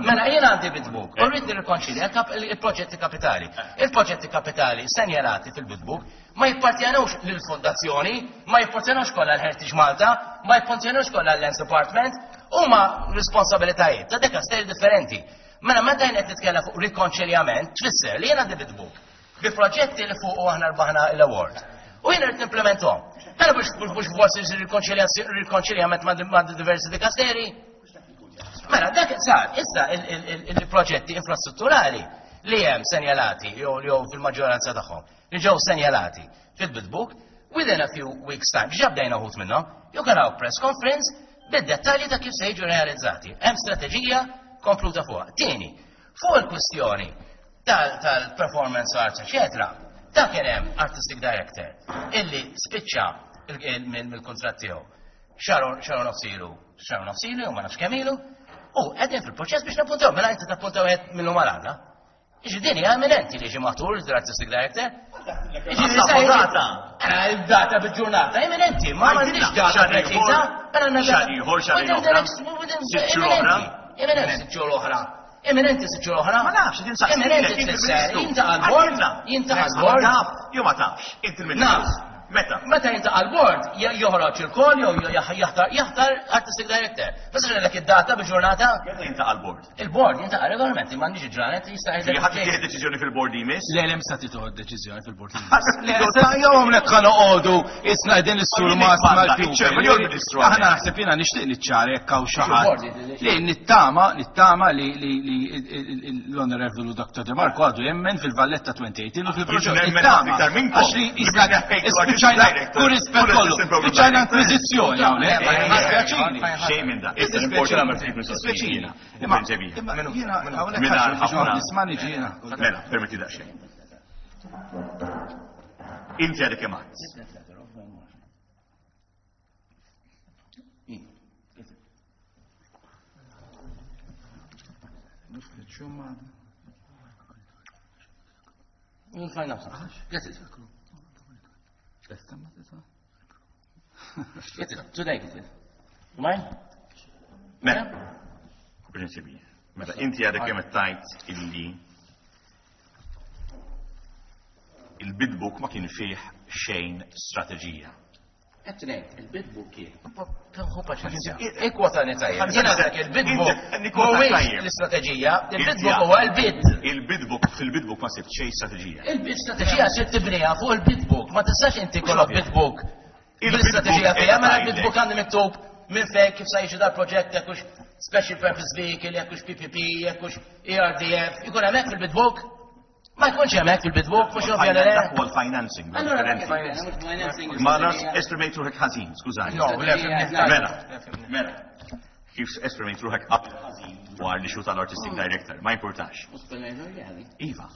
Mela jien għandi bid book, u rrid nirrikonċilja il-proġetti kapitali. Il-proġetti kapitali senjalati fil-bid book ma jippartjenux lill-fondazzjoni, ma jippartjenux kollha l-Heritage Malta, ma jippartjenux kollha l-Lands Department, huma responsabilitajiet ta' dekasteri differenti. Mela meta jien qed nitkellem fuq rikonċiljament, tfisser li jien għandi bid book bi proġetti li fuq u aħna rbaħna l-award. U jiena rrid nimplementhom. Mela biex biex forsi jsir rikonċiljament ma' diversi dikasteri. Mela dak sar, issa il-proġetti infrastrutturali li hemm senjalati jew jew fil-maġġoranza tagħhom li ġew senjalati fil-bid book within a few weeks time, ġa bdejna uħud minnhom, you can have press conference bid-dettalji ta' kif se jiġu realizzati. Hemm strateġija kompluta fuqha. Tieni, fuq il-kwistjoni tal-performance arts, eccetera, ta' kien hemm artistic director illi spiċċa mill-kuntratt tiegħu xahar nofs ilu, xahar nofs ilu, jew ma nafx kemm ilu, u qegħdin fil-proċess biex nappuntaw, mela inti tappuntaw qed minnu malada. Iġi din hija eminenti li ġi matur l-artistic director. Data. Data bil-ġurnata, eminenti, ma m'għandix data preċiża. Xahar ieħor, xahar oħra. Sitt xhur oħra. Eminenti sitt xhur oħra. Eminenti sitt xhur oħra. Ma nafx, din saqsi. Eminenti tfisser, jintaqa' l-bord, jintaqa' l-bord. Taf, jew ma tafx, inti Naf. Meta? Meta jintaqa' l-bord, joħroġ il-call jew jaħtar jaħtar artistic director. Bas lek id-data bil-ġurnata. Meta jintaqa' l-bord? Il-bord jintaqa' regolarment, m'għandix ġranet jista' jgħid. Ħadd tieħed deċiżjoni fil-bord jmiss? Le, le msa tieħu deċiżjoni fil-bord jmiss. Le, jew hawnhekk ħa noqogħdu isna qegħdin is-sur ma Aħna naħseb jiena nixtieq niċċara jekk hawn xi ħadd. Li nittama, nittama li l-Onorevolu Dr. De Marco għadu jemmen fil-Valletta twenty eighteen u fil-proġett. Nittama. Għax li spiċċajna u rispett kollu. Spiċċajna inkwiżizzjoni hawnhekk. Dispjaċini. Xejn minn da. Issa importanti Dispjaċini. Imma jiena hawnhekk nisma' niġi jiena. Mela, permetti daqsxejn. Inti għadek kemm għadt. We'll find out. Get it. Get it. Today, get it. You mind? Mela. Prinċipi. Mela, inti għadek kemm tajt illi il-bid book ma kien fih xejn strateġija. Qed ngħid, il-bid book kien. Hu paċenzja. Ikkwotani tajjeb. Jiena dak il-bid book mhuwiex l-istrateġija, il-bid book huwa l-bid. Il-bid book, fil-bid book ma sibt xejn strateġija. Il-strateġija se tibniha fuq il-bid book, ma tistax inti kollok bid book. L-istrateġija fiha, mela il-bid book għandi miktub minn fejn kif se jiġi dal-proġett jekk hux special purpose vehicle, jekk hux P P P, jekk hux E R D F, ikun hemmhekk fil-bid book. Ma jkunx hemmhekk fil-bid book, mhux ovvja li Dak huwa l-financing. Allura Ma nafx esprimejt ruħek ħażin, skużani. No, le, Mela, mela. Kif esprimejt ruħek qabel ħażin dwar li xu tal-artistic director, ma importax. Iva.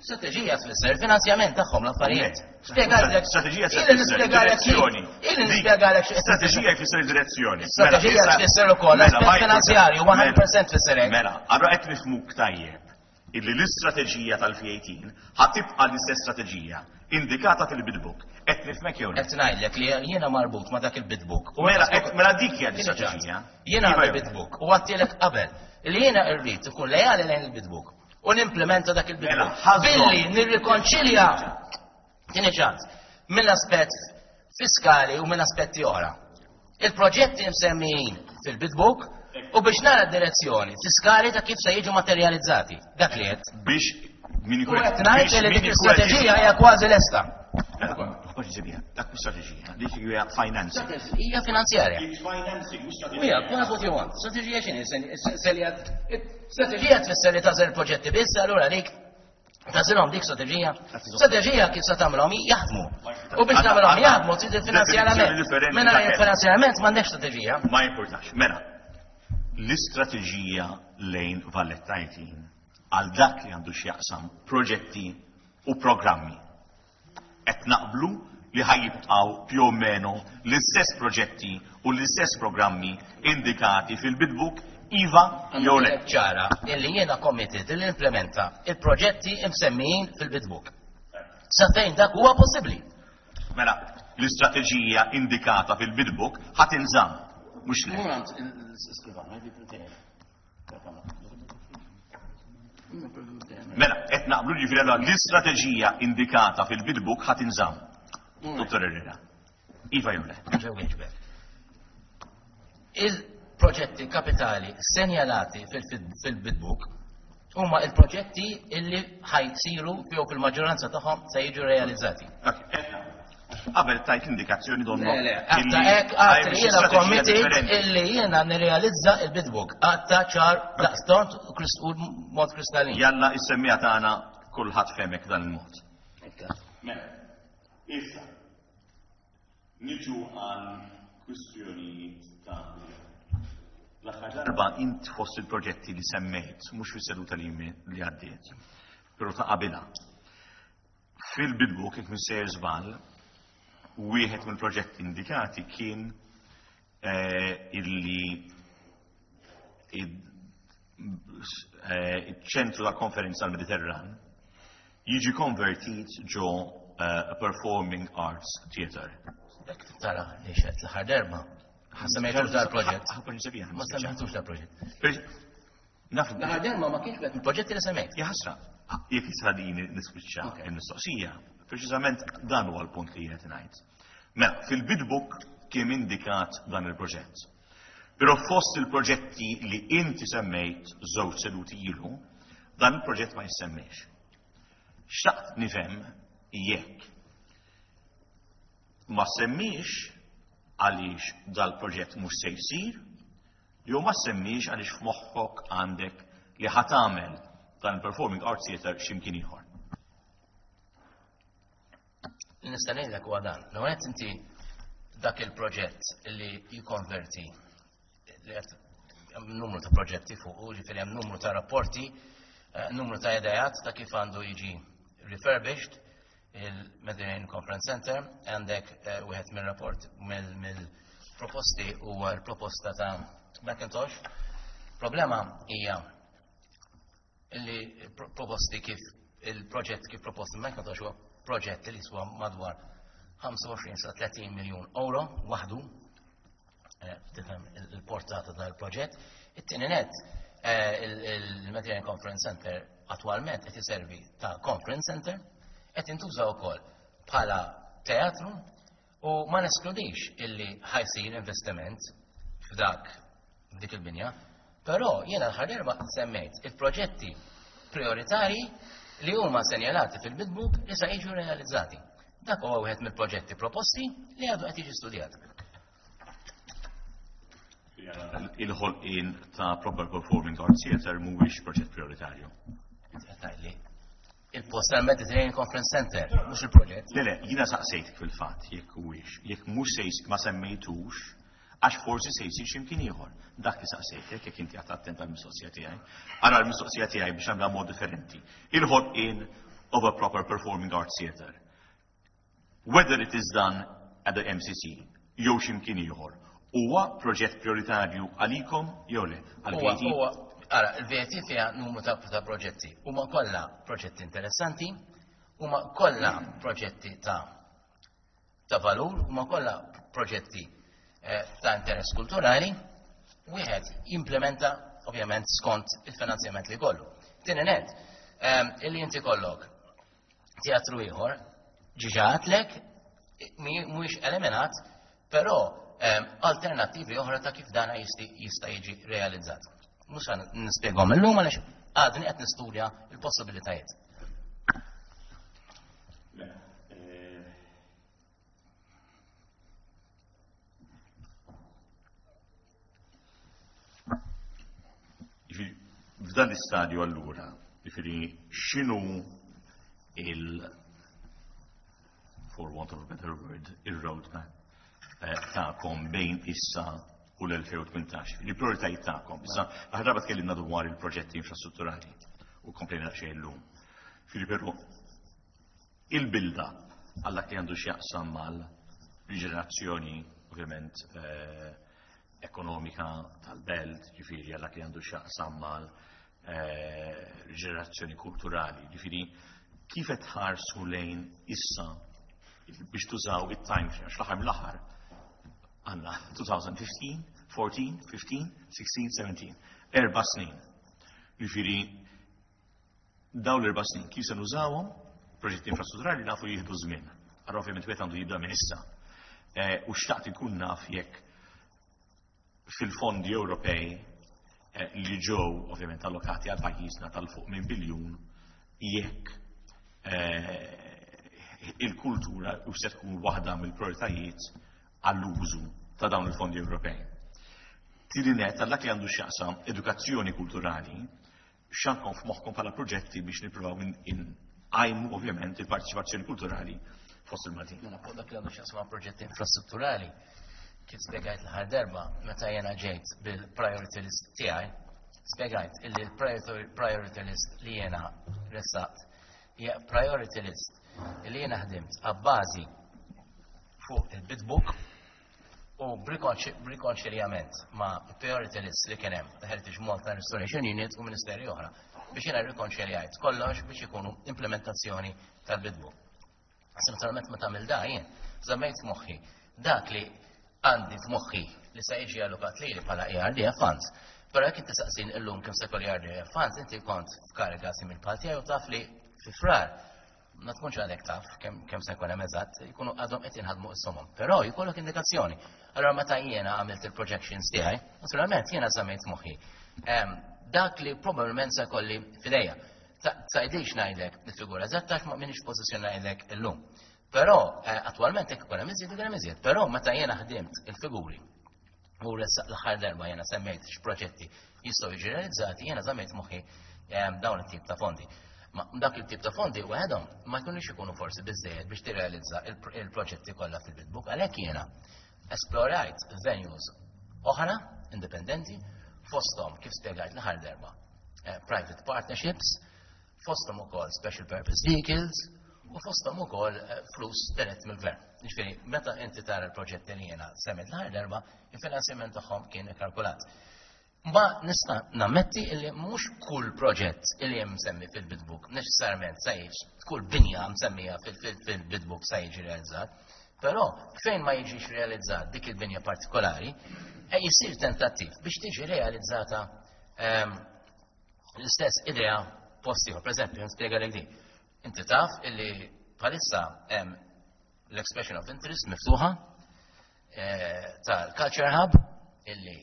Strateġija tfisser finanzjament tagħhom l-affarijiet. Spjegalek. Strateġija Ili nispjegalek direzzjoni. Ili nispjegalek Strateġija jfisser direzzjoni. Strateġija tfisser ukoll aspett finanzjarju mija fil-mija tfisser hekk. Mela, allura qed nifhmuk tajjeb illi l-istrateġija tal-F eighteen ħa tibqa' l-istess strateġija indikata fil-bid book. Qed nifhmek jew le? Qed ngħidlek li jiena marbut ma' dak il-bid book. U mela qed- mela dik hija l-istrateġija. Jiena Iva għandi jew le? bid book u għattilek qabel li jiena rrid ikun lejali lejn il-bid book u nimplementa dak Mela, il-bid book. ħażhom. Billi nirrikonċilja Tieni ċans, mill-aspett fiskali u minn aspetti oħra. Il-proġetti msemmijin fil-bid book u biex nara d-direzzjoni fiskali ta' kif se jiġu materializzati. Dak li qed. Biex min U ikun qed ngħid biex li min dik ikun qed l-istrateġija hija kważi lesta. Dak mhux strateġija, dik hija financing. Hija finanzjarja. It's financing, mhux Ija, call it what you want. Strateġija x'inhi? Strateġija tfisser li tagħżel proġetti biss, allura dik tagħżilhom dik strateġija. Strateġija kif se tagħmilhom jaħdmu. U biex tagħmilhom jaħdmu trid il-finanzjarament. Differenti Mingħajr ta' il-finanzjarament m'għandekx strateġija. Ma importax. Mela, l-istrateġija lejn Valletta eighteen għal dak li għandu x'jaqsam proġetti u programmi. Qed naqblu li ħa jibqgħu più o meno l-istess proġetti u l-istess programmi indikati fil-bid book, iva jew le? Ċara, illi jiena committed li implementa il-proġetti imsemmijin fil-bid book. Sa fejn dak huwa possibbli. Mela, l-istrateġija indikata fil-bid book ħa tinżamm, mhux le? Mela, qed naqblu, ġifieri allura l-istrateġija indikata fil-bid book ħa tinżamm. Dottor Herrera. Iva jew le? Il-proġetti kapitali senjalati fil-bid book huma il-proġetti illi ħa jsiru jew fil-maġġoranza tagħhom se jiġu realizzati. Qabel tajt indikazzjoni donnu. Le, le, għatta hekk għadt li jiena committed illi jiena nirrealizza il-bid book. Għatta ċar daqstant u mod kristallin. Jalla is-semmija tagħna kulħadd femek dan il-mod. Mela, issa, niġu għal kwistjonijiet ta' l-aħħar darba int fost il-proġetti li semmejt, mhux fis-seduta li li għaddiet, però ta' qabilha. Fil-bid book, jekk mhux sejjer żball, wieħed mill-proġetti indikati kien eh, illi il-ċentru ta' konferenza tal-Mediterran jiġi konvertit ġo eh, Performing Arts Theatre. Dak tara li xed l-aħħar darba. Ma semmejtux dal-proġett. Ma semmejtux dal-proġett. Naf L-aħħar darba ma kienx wieħed mill-proġetti li semmejt. Jaħasra, jekk jisħadini nispiċċa Ok. il-mistoqsija, preċiżament dan huwa l-punt li qed ngħid. Mela, fil-bid book kien indikat dan il-proġett. Però fost il-proġetti li inti semmejt żewġ seduti ilu, dan il-proġett ma jissemmiex. Xtaqt nifhem jekk ma semmiex għaliex dal-proġett mhux se jsir, jew ma semmiex għaliex f'moħħok għandek li ħa tagħmel dan il-Performing Arts Theatre x'imkien ieħor. Nista' ngħidlek huwa dan. L qed inti dak il-proġett li jikkonverti li qed hemm numru ta' proġetti fuq, ġifieri hemm numru ta' rapporti, eh, numru ta' idejat ta' kif għandu jiġi refurbished il-Mediterranean Conference Center, għandek eh, wieħed mill-rapport mill-proposti huwa l-proposta ta' Macintosh. Problema hija illi proposti kif il-proġett kif proposti Macintosh huwa proġett li jiswa madwar ħamsa u għoxrin sa tletin miljun euro waħdu, eh, tifhem il-portata tal-proġett. It-tieni net, eh, il-Mediterranean Conference Center attualment qed iservi ta' conference center, qed intuża wkoll bħala teatru u ma neskludix illi ħa jsir investiment f'dak f'dik il-binja, però jiena l-aħħar darba semmejt il-proġetti prioritari li huma senjalati fil-bid book li sa jiġu realizzati. Dak huwa wieħed mill-proġetti proposti li għadu qed jiġi studjat. Il-ħolqien ta' Proper Performing Arts Theatre mhuwiex proġett prioritarju. Tgħidli. Il-post tal-Mediterranean Conference Center, mhux il-proġett. Le, le, jiena saqsejt fil-fatt jekk huwiex, jekk mhux se ma semmejtux, għax forsi se jsir x'imkien ieħor. Dak li saqsejtek jekk inti qed attent għall-mistoqsija tiegħi. Ara l-mistoqsija tiegħi biex nagħmilha mod differenti. Il-ħolqien of a proper performing arts theatre. Whether it is done at the M C C jew x'imkien ieħor, huwa proġett prioritarju għalikom jew le? Huwa, Għal-V A T? huwa, ara, il-V A T fiha numru ta' ta' proġetti. Huma kollha proġetti interessanti, huma kollha proġetti ta' ta' valur, huma kollha proġetti eh, ta' interess kulturali, wieħed jimplementa ovvjament skont il-finanzjament li kollu. Tieni net, ehm, illi inti kollok teatru ieħor Diġà għedtlek, mhuwiex eliminat, però alternattivi oħra ta' kif dana jista' jiġi realizzat. Mhux nispjegahom illum għaliex għadni qed nistudja l-possibilitajiet. F'dan l-istadju allura, jiġifieri x'inhu il for want of a better word, il-roadmap tagħkom bejn issa u l-elfejn u tmintax, il-prioritajiet tagħkom. Issa, l-aħħar darba tkellimna dwar il-proġetti infrastrutturali u komplejna daqsxejn illum. Jiġifieri però il-build-up għal dak li għandu x'jaqsam mal-riġenerazzjoni ovvjament ekonomika tal-belt, ġifieri għal dak li għandu x'jaqsam mal riġenerazzjoni kulturali, ġifieri kif qed tħarsu lejn issa biex tużaw it-time frame, għax l-aħħar mill-aħħar għandna twenty fifteen, fourteen, fifteen, sixteen, seventeen, erba' snin. Ġifieri dawn l-erba' snin kif se nużawhom, proġetti infrastrutturali nafu jieħdu żmien. Allora ovvjament wieħed għandu jibda minn issa. U xtaqt inkun naf jekk fil-fondi Ewropej li ġew ovvjament allokati għal pajjiżna tal-fuq minn biljun jekk il-kultura u se tkun waħda mill-prioritajiet għall-użu ta' dawn il-fondi Ewropej. Tieni nett għal dak li għandu x'jaqsam edukazzjoni kulturali, x'għandkom f'moħħkom bħala proġetti biex nippruvaw inqajmu ovvjament il-parteċipazzjoni kulturali fost il-Maltin. Mela fuq dak li għandu x'jaqsam proġetti infrastrutturali, kif spjegajt l-aħħar darba meta jiena ġejt bil-priority list tiegħi, spjegajt illi l-priority list li jiena ressaqt hija priority list illi jiena ħdimt abbażi fuq il-bid book u b'rikonċiljament ma' priority list li kien hemm ta' Heritage Malta Restoration Unit u ministeri oħra biex jiena rrikonċiljajt kollox biex ikunu implementazzjoni tal-bid book. Naturalment meta tagħmel da jien żammejt f'moħħi dak li għandi f'moħħi li se jiġi allokat lili bħala E R D F funds. Però jekk inti saqsin illum kemm se jkolli E R D F funds, inti kont f'kariga simil bħal tiegħi u taf li fi frar ma tkunx għadek taf kemm se jkun hemm eżatt, jkunu għadhom qed jinħadmu s-somom. Però jkollok indikazzjoni. Allora meta jiena għamilt il-projections tiegħi, naturalment jiena żammejt moħħi. Dak li probabbilment se jkolli f'idejja. Tgħidix ngħidlek il-figura eżatta għax ma minix pożizzjoni ngħidlek illum. Però attwalment jekk ikun hemm iżjed, ikun hemm iżjed. Però meta jiena ħdimt il-figuri u ressaq l-aħħar darba jiena semmejt x'proġetti jistgħu jiġu realizzati, jiena żammejt moħħi dawn it-tip ta' fondi. Ma dak il-tip ta' fondi waħedhom ma jkunux ikunu forsi biżżejjed biex tirrealizza il-proġetti kollha fil-bid book, għalhekk jiena esplorajt venues oħra indipendenti fosthom kif spjegajt l-aħħar darba private partnerships, fosthom ukoll special purpose vehicles u fosthom ukoll flus dirett mill-gvern. Jiġifieri meta inti tara l-proġetti li jiena semmejt l-aħħar darba, il-finanzjament tagħhom kien ikkalkulat. Ma nista' nammetti illi mhux kull proġett illi hemm msemmi fil-bid book neċessarjament se jiġi, kull binja msemmija fil-bid book se jiġi realizzat, però fejn ma jiġix realizzat dik il-binja partikolari, e jisir tentattiv biex tiġi realizzata l-istess idea post ieħor. Per eżempju, nispjegalek din. Inti taf illi bħalissa hemm l-expression of interest miftuħa tal-Culture Hub illi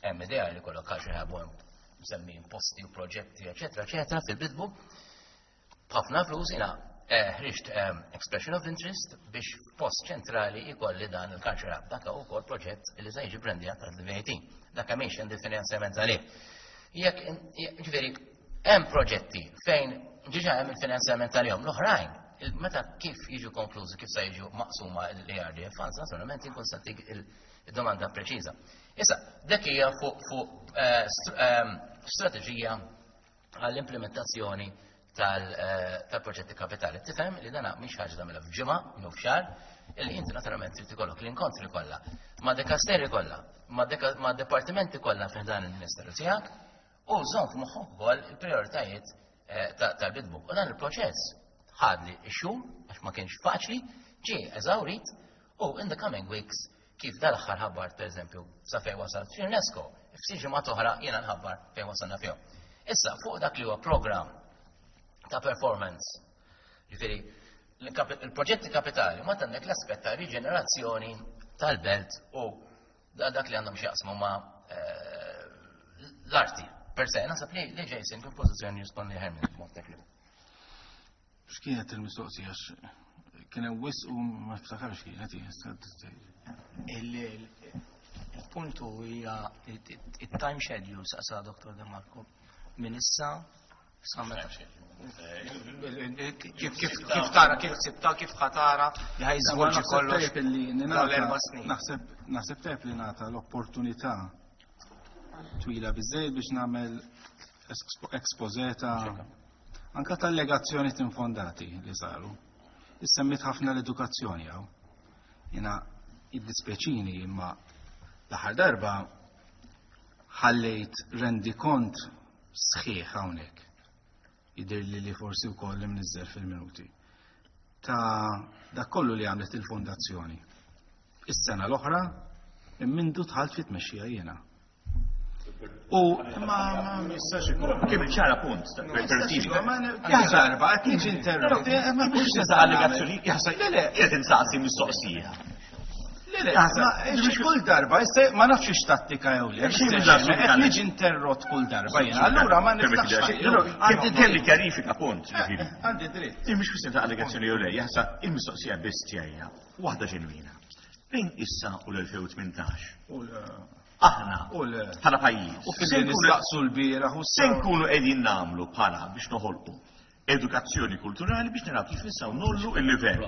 hemm idea li kollok Culture Hub u hemm msemmi posti u proġetti, eċetera, eċetera, fil-bid book. B'ħafna flus jiena ħriġt expression of interest biex f'post ċentrali jkolli dan il-Culture Hub. Dak huwa wkoll proġett li se jiġi brandjat tal-V A T. Dak mhix hemm finanzjament għalih. Jekk, ġifieri, hemm proġetti fejn diġà hemm il-finanzjament għalihom, l-oħrajn, meta kif jiġu konklużi, kif se jiġu maqsuma l-E R D F funds, naturalment inkun se tik il-domanda preċiża. Issa, dak hija fuq, fuq, eh, str-, ehm, strateġija għall-implementazzjoni tal-, eh, tal-proġetti kapitali. Tifhem li dana mhix ħaġa tagħmilha f'ġimgħa jew f'xahar, illi inti naturalment trid ikollok l-inkontri kollha, ma' dekasteri kollha, ma' deka-, ma' dipartimenti kollha fih dan il-Ministeru tiegħek, u żomm f'moħħok ukoll il-prijoritajiet, eh, ta-, tal-bid book. U dan il-proċess ħadli x-xhur għax ma kienx faċli, ġie eżawrit u in the coming weeks kif dal-aħħar ħabbart pereżempju sa fejn wasalt fl-UNESCO, f'xi ġimgħa oħra jiena nħabbar fejn wasalna fihom. Issa fuq dak li huwa program ta' performance, ġifieri Il-proġetti kapitali ma għandek l-aspett ta' riġenerazzjoni tal-belt u dak li għandhom x'jaqsmu ma' eh, l-arti. Per se, naħseb li li Jason kien pożizzjoni jirrispondi ħer minn mod tekniku. X'kienet il-mistoqsija? Kien hemm wisq u ma niftakarx kienet. Il-puntu hija it-time schedule, saqsa Dottor De Marco. Minn issa sa meta. Kif kif tara, kif sibta, kif ħa tara li ħa jiżvolġi kollox l-erba' snin. Naħseb naħseb tajb li nagħta l-opportunità twila biżejjed biex nagħmel exposé ta' anka tal-allegazzjoni infondati li saru. Issemmit ħafna l-edukazzjoni hawn. Jiena jiddispjaċini, imma l-aħħar darba ħallejt rendikont sħiħ hawnhekk. Jidir li li forsi wkoll imniżżel fil-minuti. Ta' dak kollu li għamlet il-fondazzjoni. Is-sena l-oħra minn mindu dħalt fit-tmexxija jiena. U ma ma jistax ikun. Kemm ċara punt. Ja darba qed niġi interrott. Ma mhux nisa allegazzjoni, le le, qiegħed insaqsi mistoqsija. Le le, ma kull darba, issa ma nafx x'tattika jew le. Qed niġi interrott kull darba jiena. Allura ma niftax. Għandi kelli kjarifika punt. Għandi dritt. Mhux kwistjoni ta' allegazzjoni jew le, jaħsa il-mistoqsija biss tiegħi waħda ġenwina. Bejn issa u l-elfejn u tmintax. Aħna bħala pajjiż. U fil nistaqsu l-bieraħ u se nkunu qegħdin nagħmlu bħala biex noħolqu edukazzjoni kulturali biex naraw kif nistgħu ngħollu il-livell.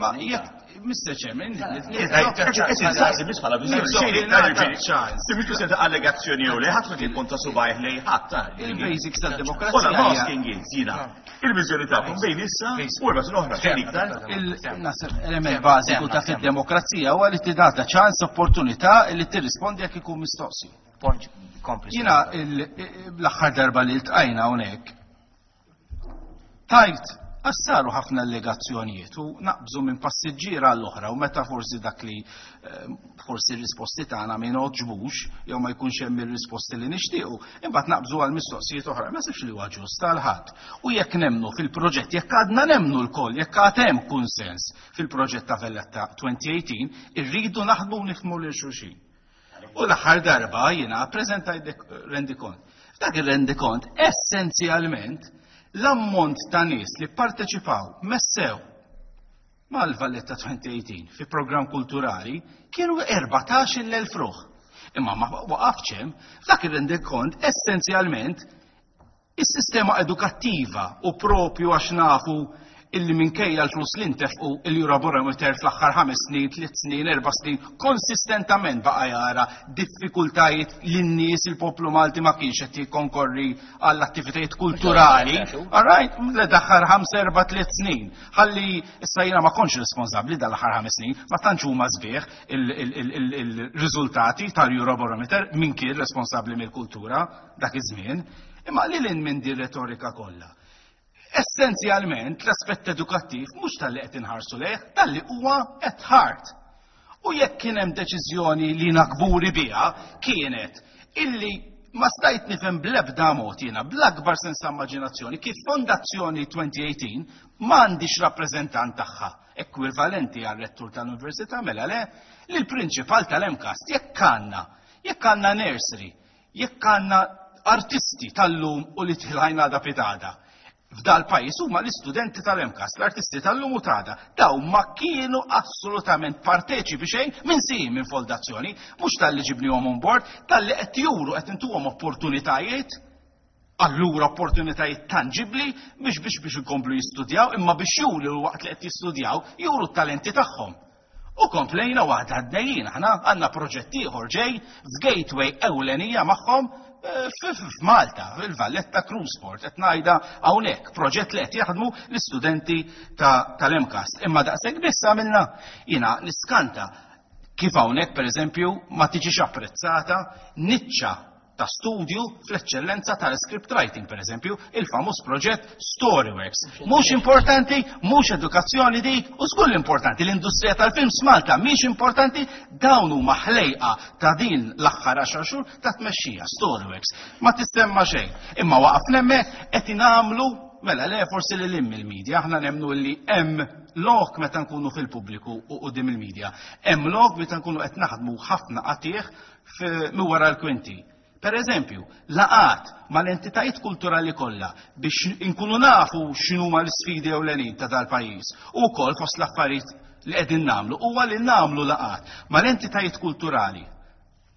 Ma jekk, Mister Chairman, qed insaqsi biss bħala viżjoni. Mhux kwistjoni ta' allegazzjoni jew le, ħadd ma kien ponta subajh lej ħadd. Il-basics tad-demokrazija. Ora asking is jiena. Il-viżjoni tagħkom bejn issa u erba' snin oħra xejn iktar. Il-naħseb element bażiku ta' fid-demokrazija huwa li tingħata ċans, opportunità li tirrispondi jekk ikun mistoqsi. Jiena l-aħħar darba li ltqajna hawnhekk tajt għax saru ħafna allegazzjonijiet u naqbżu minn passiġġiera għall-oħra u meta forsi dak li eh, forsi r-risposti tagħna ma jogħġbux jew ma jkunx hemm ir-risposti li nixtiequ, imbagħad naqbżu għal mistoqsijiet oħra. Ma sibx li huwa ġust għal ħadd. U jekk nemnu fil-proġett, jekk għadna nemnu lkoll, jekk għad hemm kunsens fil-proġett ta' Valletta elfejn u tmintax, irridu naħdmu u nifhmu lil xulxin. U l-aħħar darba jiena ppreżentajt rendikont. F'dak ir-rendikont essenzjalment l-ammont ta' nies li parteċipaw messew mal-Valletta elfejn u tmintax fi program kulturali kienu erbatax-il elf ruħ. Imma ma waqafx hemm, f'dak ir-rendikont essenzjalment is-sistema edukattiva u propju għax nafu illi minkejja l-flus li ntefqu, il-Eurobarometer fl-aħħar ħames snin, tliet snin, erba' snin, konsistentament baqa' jara diffikultajiet li n-nies, il-poplu Malti ma kienx qed jikkonkorri għall-attivitajiet kulturali. All right, l-aħħar ħames, erba', tliet snin. Ħalli issa jiena ma kontx responsabbli dal-aħħar ħames snin, ma tantx huma sbieħ il-riżultati tal-Eurobarometer, min kien responsabbli mill-kultura dak iż-żmien. Imma li lil minn din retorika kollha. Essenzjalment l-aspett edukattiv mhux talli qed inħarsu lejh, talli huwa at heart. U jekk kien hemm deċiżjoni li kburi biha kienet illi ma stajt nifhem bl-ebda mod jiena, bl-akbar sens ta' immaġinazzjoni, kif Fondazzjoni elfejn u tmintax m'għandix rappreżentant tagħha ekwivalenti għal rettur tal-università, mela le, li l-prinċipal tal-MCAST, jekk għandna, jekk għandna nursery, jekk għandna artisti tal-lum u li tilħajna da pitgħada f'dal pajjiż huma l-istudenti tal-MCAST, l-artisti tal-lum u t'għada. Daw ma kienu assolutament parteċipi xejn minn si minn fondazzjoni, mhux talli ġibnihom on board, talli qed juru qed intuhom opportunitajiet, allura opportunitajiet tangibli biex biex biex ikomplu jistudjaw, imma biex juru waqt li qed jistudjaw, juru t-talenti tagħhom. U komplejna waħda għaddejjin, aħna għandna proġett ieħor ġej f'gateway ewlenija magħhom eh, f'Malta, fil-Valletta Cruise Port, qed ngħidha hawnhekk, proġett li qed jaħdmu l-istudenti tal-MCAST. Imma daqshekk biss għamilna? Jiena niskanta kif hawnhekk, pereżempju, ma tiġix apprezzata niċċa ta' studju fl-eċċellenza tal-script writing, per eżempju, il-famuż proġett Storyworks. Mhux importanti, mhux edukazzjoni dik, u żgur importanti, l-industrija tal-films Malta mhix importanti, dawn huma ħlejqa ta' din l-aħħar għaxar xhur ta' tmexxija, Storyworks. Ma tissemma xejn. Imma waqaf hemmhekk qed nagħmlu Mela, le, forsi li lim il-medja, aħna nemmnu li hemm lok meta nkunu fil-pubbliku u quddiem il-medja. Hemm lok meta nkunu qed naħdmu ħafna qatih minn wara l-kwinti. Per eżempju, laqgħat mal-entitajiet kulturali kollha biex inkunu nafu x'inhuma l-isfidi ewlenin ta' dal-pajjiż. U wkoll fost l-affarijiet li qegħdin nagħmlu huwa li nagħmlu laqgħat mal-entitajiet kulturali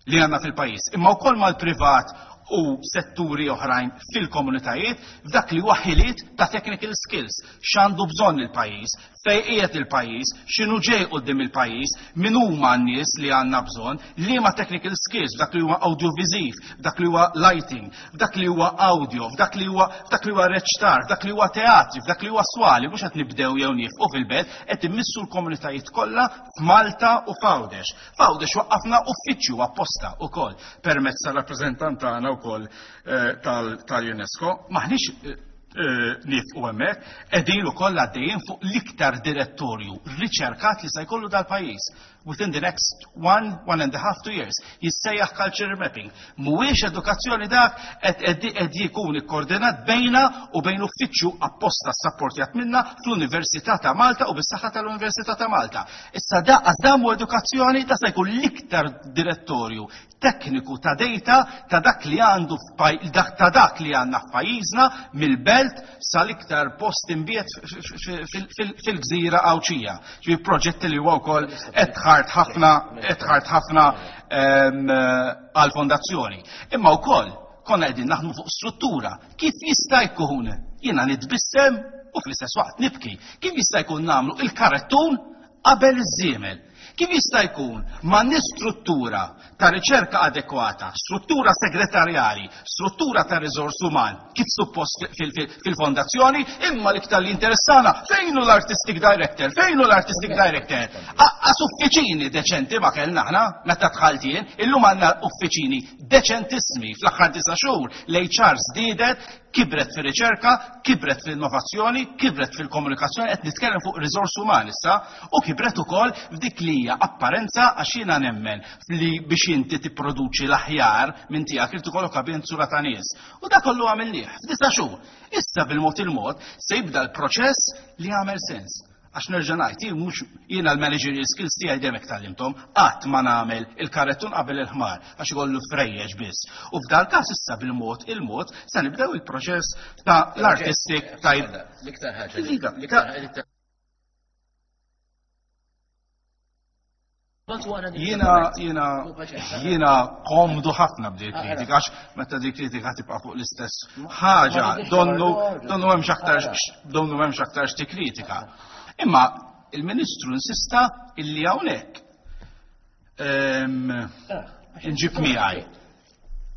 li għandna fil-pajjiż, imma wkoll mal-privat u setturi oħrajn fil-komunitajiet f'dak li huwa ħiliet ta' technical skills, x'għandu bżonn il-pajjiż, fejn qiegħed il-pajjiż, x'inhu ġej quddiem il-pajjiż, min huma n-nies li għandna bżonn, liema technical skills f'dak li huwa audiovisiv, f'dak li huwa lighting, f'dak li huwa audio, f'dak li huwa f'dak li huwa reċtar, f'dak li huwa teatri, f'dak li huwa swali, mhux qed nibdew jew nieqfu fil-belt, qed immissu l-komunitajiet kollha f'Malta u f'Għawdex. F'Għawdex waqqafna uffiċċju apposta wkoll permezz tal-rappreżentant tagħna wkoll tal-UNESCO. Maħniex nieqfu hemmhekk, qegħdin ukoll għaddejjin fuq l-iktar direttorju riċerkat li se jkollu dal-pajjiż within the next one, one and a half, two years. Jissejjaħ culture mapping. Mhuwiex edukazzjoni dak qed qed jkun ikkoordinat bejna u bejn uffiċċju apposta sapportjat minna fl-Università ta' Malta u bis-saħħa tal-Università ta' Malta. Issa da dan mhu edukazzjoni, da se jkun l-iktar direttorju tekniku ta' data ta' dak li għandu ta' dak li għandna f'pajjiżna mill-belt sal-iktar post imbiet fil-gżira Għawdxija. Ġifieri proġetti li huwa wkoll qed ħafna qed ħafna għal-fondazzjoni. Imma wkoll konna qegħdin naħdmu fuq struttura. Kif jista' jkun jiena nitbissem u fl-istess waqt nibki? Kif jista' jkun nagħmlu il-karettun qabel iż-żiemel? Kif jista' jkun ma' struttura ta' riċerka adekwata, struttura segretarjali, struttura ta' riżors uman, kif suppost fil-fondazzjoni, imma l-iktar li interessana, fejn hu l-artistic director, fejn hu l-artistic director? Aqqas uffiċini deċenti ma kellna aħna meta dħalt jien, illum għandna uffiċini deċentissimi fl-aħħar disa' xhur, l-H R żdiedet, kibret fir-riċerka, kibret fil-innovazzjoni, kibret fil-komunikazzjoni, qed nitkellem fuq riżors uman issa, u kibret ukoll f'dik li hija apparenza, għax jiena nemmen li biex inti tipproduċi l-aħjar minn tiegħek irid ikollok ambjent sura ta' nies. U dak kollu għamilnieh f'disa' xhur. Issa bil-mod il-mod se jibda l-proċess li jagħmel sens. Għax nerġa' ngħid, jien mhux jiena l-managerial skills tiegħi dejjem hekk tgħallimthom, qatt ma nagħmel il-karettun qabel il-ħmar għax ikollu frejjeġ biss. U f'dal każ issa bil-mod il-mod se nibdew il-proċess ta' l-artistic type. L-iktar ħaġa. Jiena jiena jiena komdu ħafna b'di kritika, għax meta di kritika tibqa' fuq l-istess ħaġa, donnu donnu hemmx aktar donnu hemmx aktar xi kritika. Imma il-Ministru insista illi hawnhekk nġib miegħi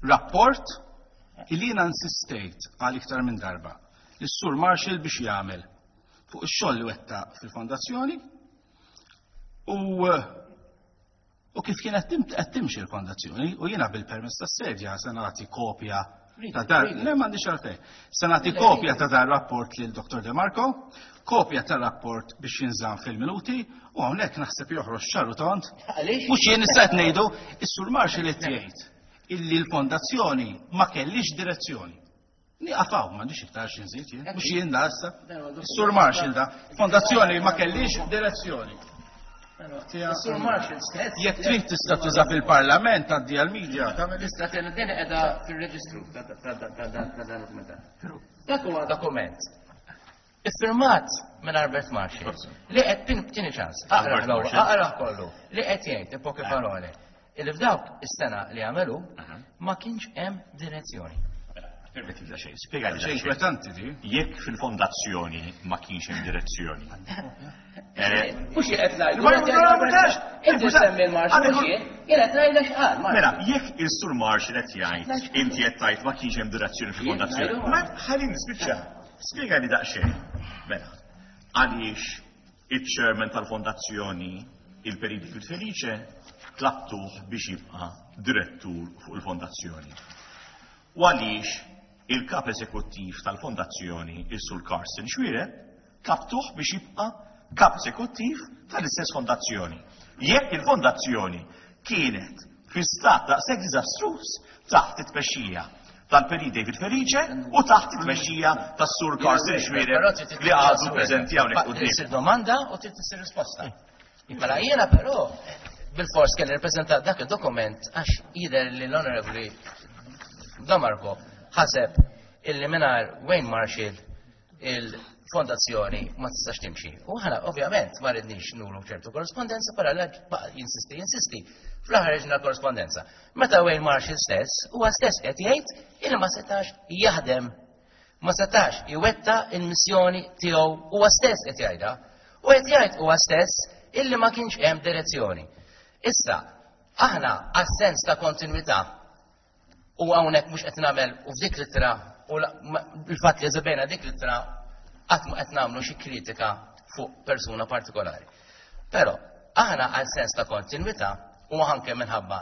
rapport illi jiena insistejt għal iktar minn darba lis-Sur Marshall biex jagħmel fuq ix-xogħol li wettaq fil-fondazzjoni u u kif kienet qed timxi l-fondazzjoni, u jiena bil-permess tas-sedja se nagħti kopja ta' dar, le m'għandix għalfejn. Se nagħti kopja ta' dar rapport lil Doktor De Marco, kopja ta' rapport biex jinżamm fil-minuti, u hawnhekk naħseb joħroġ ċaru tond. Mhux jien issa qed ngħidu, is-Sur Marshall qed jgħid illi l-fondazzjoni ma kellix direzzjoni. Nieqaf hawn, m'għandix iktar xi nżid jien, mhux jien da issa. Is-Sur Marshall da, fondazzjoni ma kellix direzzjoni. Sur Marshall stess. Jekk trid tista' tuża fil-Parlament għaddi għall-media. Tista' din qiegħda fir-reġistru ta' dan dokument. Dak huwa dokument iffirmat minn Albert Marshall li qed tieni ċans, aqra aqra kollu, li qed jgħid poche parole illi f'dawk is-sena li għamelu ma kienx hemm direzzjoni. Permetti da xejn, spjega li xejn inkwetanti di. Jekk fil-fondazzjoni ma kienx hemm direzzjoni. Mhux qed ngħidu. Inti semmi l-Marshall mhux jien, jien qed ngħidlek x'qal. Mela, jekk il-Sur Marshall qed jgħid, inti qed tgħid ma kienx hemm direzzjoni fil-fondazzjoni. Ma ħalli nispiċċa. Spjega li daqsxejn. Mela, għaliex iċ-chairman tal-fondazzjoni, il-Perit Felice, tlabtuh biex jibqa' direttur fuq il-fondazzjoni. U għaliex il-kap eżekuttiv tal-fondazzjoni, il-Sur Carsten Xuereb, tlabtuh biex jibqa' kap eżekuttiv tal-istess fondazzjoni. Jekk il-fondazzjoni kienet fi stat daqshekk diżastruż taħt it-tmexxija tal-Perit David Felice u taħt it-tmexxija tas-Sur Carsten Xuereb li għadu preżenti hawnhekk quddiem. Issir domanda u trid issir risposta. Mela jiena però bil-fors kelli nippreżenta dak il-dokument għax jidher li l-Onorevoli Damarco ħaseb illi mingħajr Wayne Marshall il-fondazzjoni ma tistax timxi. U aħna ovvjament ma ridniex nuru ċertu korrespondenza, però baqa' jinsisti, jinsisti. Fl-aħħar ħriġna korrespondenza. Meta Wayne Marshall stess, huwa stess qed jgħid illi ma setax jaħdem, ma setax iwettaq il-missjoni tiegħu, huwa stess qed jgħidha. U qed jgħid huwa stess illi ma kienx hemm direzzjoni. Issa, aħna għas-sens ta' kontinuità u hawnhekk mhux qed nagħmel u f'dik l-ittra u il-fatt li eżebejna dik l-ittra qatt ma qed nagħmlu xi kritika fuq persuna partikolari. Però aħna għal sens ta' kontinuità u anke minħabba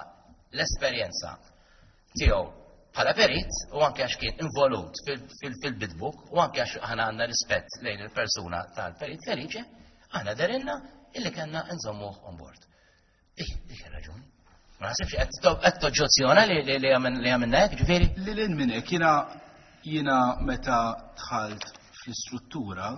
l-esperjenza tiegħu bħala perit u anke għax kien involut fil-bid book u anke għax aħna għandna rispett lejn il-persuna tal-Perit Felice, aħna dehrilna illi kellna nżommuh on board. Dik, dik ir-raġuni. Ma naħsibx qed toġġezzjona li li għamilna hekk, ġifieri? Li lil minn hekk jiena jiena meta dħalt fl-istruttura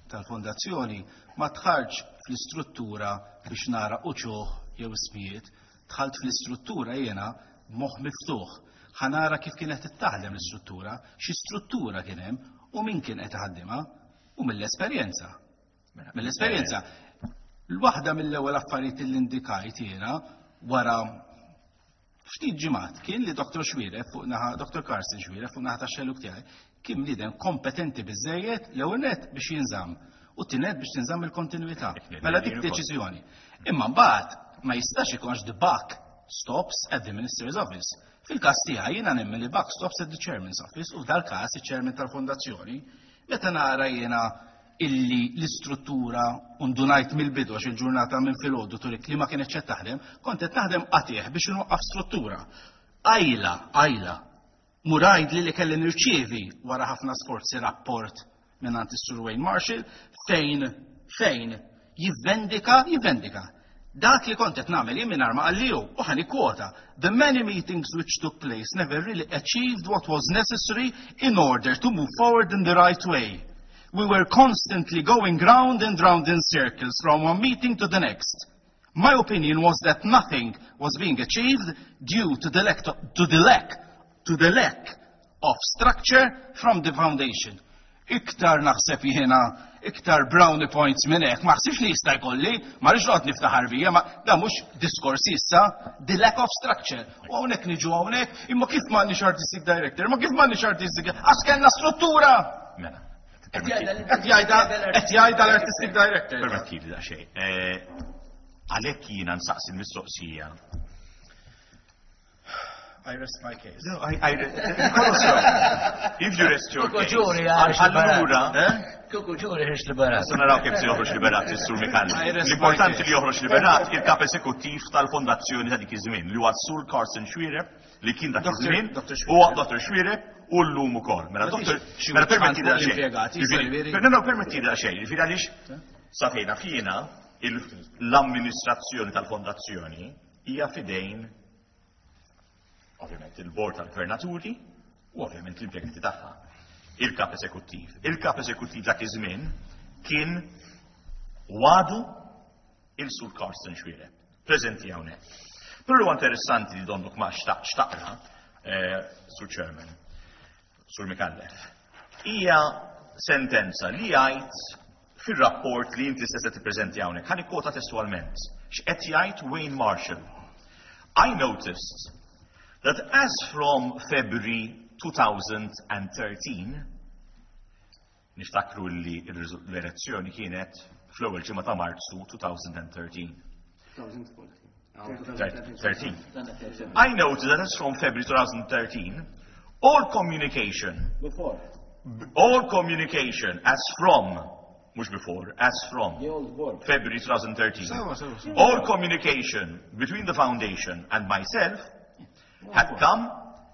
tal-fondazzjoni ma dħaltx fl-istruttura biex nara uċuħ jew ismijiet, dħalt fl-istruttura jiena moħ miftuħ. Ħa nara kif kienet taħdem l-istruttura, xi struttura kien hemm u min kien qed iħaddimha u mill-esperjenza. Mill-esperjenza. L-waħda mill-ewwel affarijiet li indikajt jiena wara ftit ġimgħat kien li Doktor Xuereb fuq naħa Doktor Carsten Xuereb fuq naħa tax-xellug tiegħi kien bniedem kompetenti biżejjed l-ewwel nett biex jinżamm u t-tieni biex tinżamm il-kontinuità. Mela dik deċiżjoni. Imma mbagħad ma jistax ikunx the buck stops at the minister's office. Fil-każ tiegħi jiena nemmen li buck stops at the chairman's office u f'dal-każ iċ-chairman tal-fondazzjoni meta nara jiena illi l-istruttura undunajt mill-bidu għax il-ġurnata minn filgħodu turik li ma kienet qed taħdem, kont qed naħdem qatigħ biex inwaqqaf struttura. Ajla, ajla, murajd li li kelli nirċievi wara ħafna sforzi rapport minn għand is-Sur Wayne Marshall fejn fejn jivvendika, jivvendika. Dak li kont qed nagħmel jien mingħajr ma qalli u ħa nikkwota. "The many meetings which took place never really achieved what was necessary in order to move forward in the right way. We were constantly going round and round in circles from one meeting to the next. My opinion was that nothing was being achieved due to the lack, to, to the lack, to the lack of structure from the foundation." Iktar naħseb jiena, iktar brownie points minn hekk, ma ħsibx li jista' jkolli, ma rridx noqgħod niftaħar bija, ma da mhux diskors issa, the lack of structure. U hawnhekk niġu hawnhekk, imma kif m'għandniex artistic director, ma kif m'għandniex artistic, għax kellna struttura. Mela. Qed jgħidha qed jgħidha l-artistic director. Permettili daqsxejn. Eh, Għalhekk jiena nsaqsi l-mistoqsija. I rest my case. No, I, I, if you rest your Kuku case. ġuri għax Allura, Kuku ġuri ħiex liberat. Issa naraw kif se joħroġ liberat is-Sur Micallef. I rest my L-importanti case. li joħroġ liberat il-kap eżekuttiv tal-fondazzjoni ta' dik iż-żmien li huwa Sur Carsten Xuereb li kien dak Doctor iż-żmien Doctor Xuereb. huwa Dottor Xuereb u llum ukoll. Mela Ma Dottor fix xi mela permetti fuq daqsxejn. l-impjegati, Jiġifieri, jiġifieri. No, no, permetti daqsxejn. Jiġifieri għaliex sa fejn jiena il- l-amministrazzjoni tal-fondazzjoni hija fidejn ovvjament il-bord tal-gvernaturi u ovvjament l-impjegati tagħha. Il-kap eżekuttiv. Il-kap eżekuttiv dak iż-żmien kien għadu il-Sur Carsten Xuereb, preżenti hawnhekk. Però huwa interessanti li donnok ma xtaqtx taqra, eh, Sur Chairman, Sur Micallef, hija sentenza li jgħid fir-rapport li inti se tippreżenti hawnhekk. Ħa nikkwota testualment. X'qed jgħid Wayne Marshall? "I noticed that as from February twenty thirteen" niftakru li l-elezzjoni kienet fl-ewwel ġimgħa ta' Marzu twenty thirteen. thirteen. "I noticed that as from February twenty thirteen, all communication" Before. "all communication as from," mhux before, as from The old board. February twenty thirteen, Sewa, sewa, sewa. "all communication between the foundation and myself had come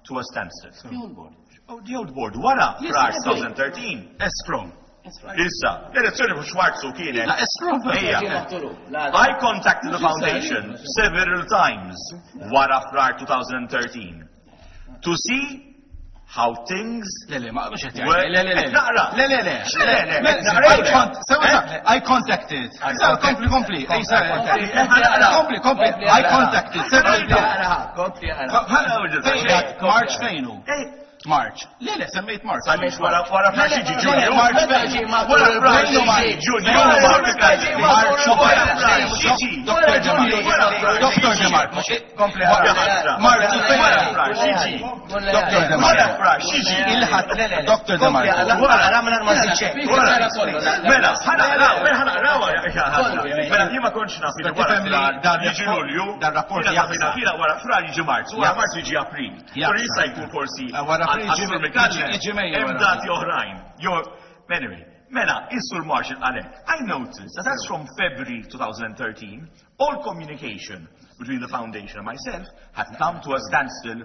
to a standstill." The old board. Oh, the old board, wara Yes, Frar yes. twenty thirteen. As from. Issa, l-elezzjoni mhux Marzu kienet. La, as from. Ejja. "I contacted the foundation several times wara Frar twenty thirteen to see how things Le, le, ma mhux qed were. jgħid. Le, le, le. Naqra. Le, le, le. Le, le, Le, naqra. I con- sewa, sewa, I contacted. Sewa, Kompli, kompli. Ej, sewa, Kompli, kompli. I contacted several times. Kompli March fejnu? March. Le, le, semmejt March. Semmejt wara wara Frar jiġi Ġunju. March fejnu. Wara Frar jiġi Ġunju. March Wara Frar jiġi. Dr. DeMarco. Dr. DeMarco. Kompli March Wara Frar jiġi. Dr. Wara DeMarco. Frar jiġi. Il-ħadd Dr. DeMarco. Mela, ħa naqraw, mela ħa naqraw. Mela, jien ma kontx naf li wara Tifhem li Frar dan jiġi rapport- Lulju. dan rapport Jiena jaqsa. tafina fila wara Frar jiġi Marzu, wara Jaqsa. Marzu jiġi April. Jaqsa. Uri jista' jkun forsi Eh, wara April għal- jiġi- għas-Sur Micallef, jiġi Mejju Hemm wara dati oħrajn. Jo, anyway, mela, is-Sur Marshall għalek. I noticed that as from February twenty thirteen, all communication between the foundation and myself had come to a standstill.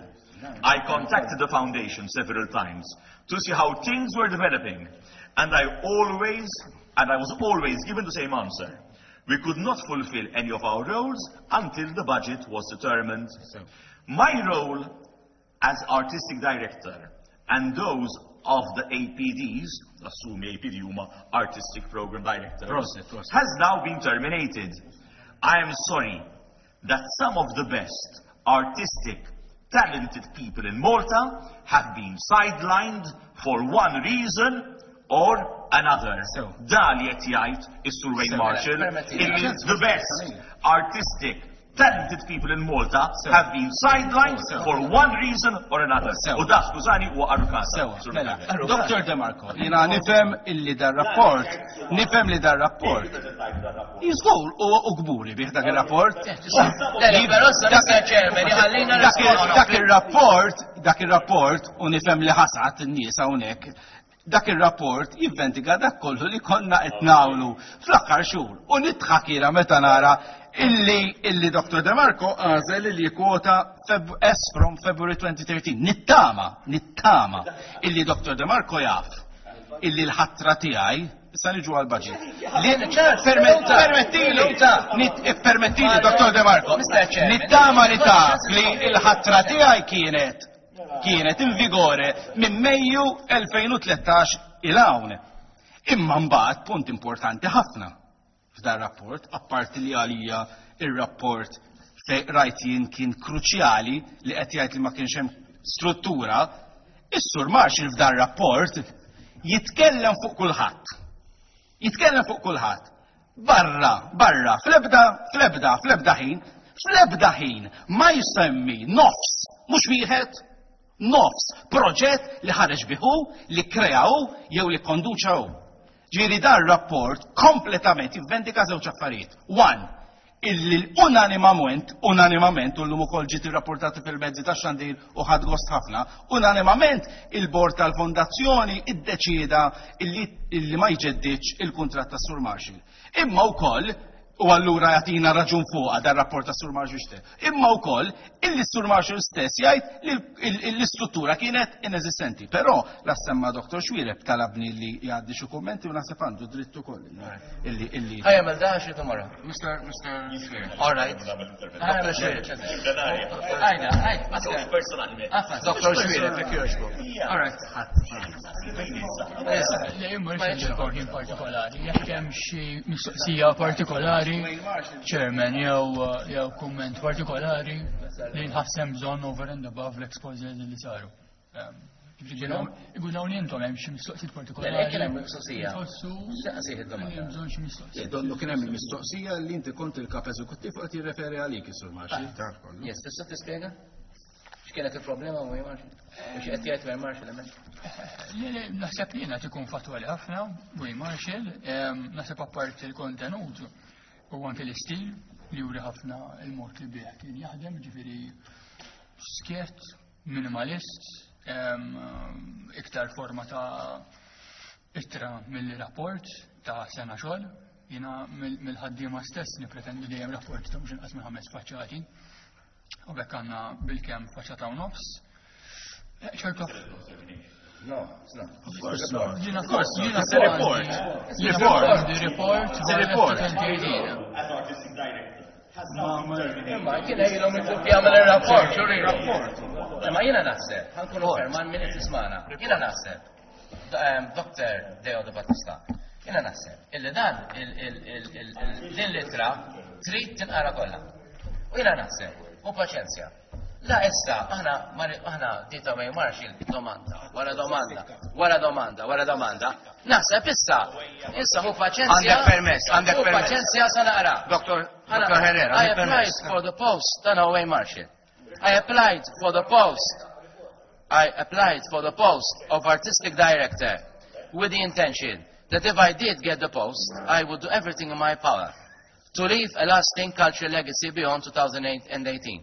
I contacted the foundation several times to see how things were developing, and I always, and I was always given the same answer. We could not fulfill any of our roles until the budget was determined. My role as artistic director and those of the A P Ds, assume A P D huma artistic program directors, Prosit, prosit. has now been terminated. I am sorry that some of the best artistic, talented people in Malta have been sidelined for one reason or another. So. Da li qed jgħid is-Sur Wayne So, Marshall permetti- illi the best artistic, talented people in Malta So. have been sidelined So. for one reason or another. So. U da, skużani, huwa għarukaża. Sewa, Sur mela, Micallef. Dr. DeMarco, jiena nifhem illi dar rapport, nifhem li dar rapport. Jiżgur u u kburi bih dak il-rapport. Le, però sa Mister Chairman, ħallina Dak il- Dak il-rapport, dak il-rapport, u nifhem li ħasat in-nies hawnhekk, dak il-rapport jivvendika dak kollu li konna qed nagħmlu fl-aħħar xhur. U nidħak jiena meta nara illi illi Dr. DeMarco għażel illi kwota Feb S from February twenty thirteen. Nittama, nittama illi Dr. DeMarco jaf illi l-ħatra tiegħi issa niġu għal-budget. Li permettili, nit- permettili Dr. DeMarco, Mister Chairman. Nittama li taf li l-ħatra tiegħi kienet kienet in vigore minn Mejju elfejn u tlettax 'l hawn. Imma mbagħad punt importanti ħafna f'dan rapport, apparti li għalija ir-rapport fej rajt jien kien kruċjali li qed jgħid li ma kienx hemm struttura, is-Sur Marshall f'dan rapport jitkellem fuq kulħadd. Jitkellem fuq kulħadd. Barra, barra, fl-ebda, fl-ebda, fl-ebda ħin, fl-ebda ħin ma jsemmi nofs, mhux wieħed, nofs proġett li ħareġ bihu, li kreaw jew li konduċaw. Ġifieri dan rapport kompletament jivvendika żewġ affarijiet. One, illi unanimament, unanimament, u l-lum ukoll ġiet irrapportati fil-mezzi ta' xandir u ħadt gost ħafna, unanimament il-bord tal-fondazzjoni iddeċida illi, illi ma jġeddiċ il-kuntratt ta' Sur Marshall. Imma wkoll, u allura jagħtina raġun fuqha dar rapport ta' Sur Marshall stess. Imma wkoll illi Sur Marshall stess jgħid li l-istruttura kienet inesistenti. Però la semma Dottor Xuereb talabni li jgħaddi xi kummenti u naħseb għandu dritt ukoll illi illi Ħa jagħmel da xi tomorrow. Mister Mister Xuereb. All right. Ħa jagħmel Xuereb. Għajda, għajda, Personalment. Dottor Xuereb, jekk jogħġbok. All right. Le, imma rix ħin partikolari, jekk hemm xi mistoqsija partikolari, Chairman, jew jew kumment partikolari li nħassem bżonn over and above l-exposures li saru. Iqul hawn intom hemm xi mistoqsijiet partikolari. Le, kien hemm mistoqsija. Tħossu Saqsih id-domanda. li hemm bżonn xi mistoqsija. Donnu kien hemm il-mistoqsija li inti kont il-kap eżekuttiv u qed jirreferi għalik is-Sur Marshall. Taf kollu. Yes, tista' tispjega? X'kienet il-problema ma Marshall? Mhux qed jgħid Wayne Marshall hemmhekk? Le, le, naħseb li jiena tikun fatwali ħafna, Wayne Marshall, em, naħseb apparti il-kontenut u anke l-istil li juri ħafna il-mod li bih kien jaħdem, ġifieri skjett, minimalist, em, iktar forma ta' ittra mill-rapport ta' sena xogħol. Jiena mill- mill-ħaddiema stess nipretendi dejjem rapport ta' mhux inqas minn ħames faċċati. U bekk għandna bilkemm faċċata u nofs. Eh, ċertu No, it's not. Of course not. Jiena Of course not. jiena It's a report. Jiena Report. għandi report. It's a report. As artistic director. Has now been terminated. Imma kien ilhom jitlob jagħmel ir-rapport, xuri. Rapport. Ma jiena naħseb, ħa nkunu fair ma' min qed jismagħna. Jiena naħseb, Dr. Deo De Battista, jiena naħseb, illi dan din l-ittra trid tinqara kollha. U jiena naħseb, u paċenzja. La issa, aħna aħna dita ma Marshall domanda, wara domanda, wara domanda, wara domanda. Naħseb issa, issa hu paċenzja. Għandek permess, għandek Hu permess. paċenzja sa naqra. Dr. Dr. Herrera, I għandek applied permess. for the post, dan Wayne Marshall. I applied for the post. I applied for the post of artistic director with the intention that if I did get the post, I would do everything in my power to leave a lasting cultural legacy beyond two thousand eighteen.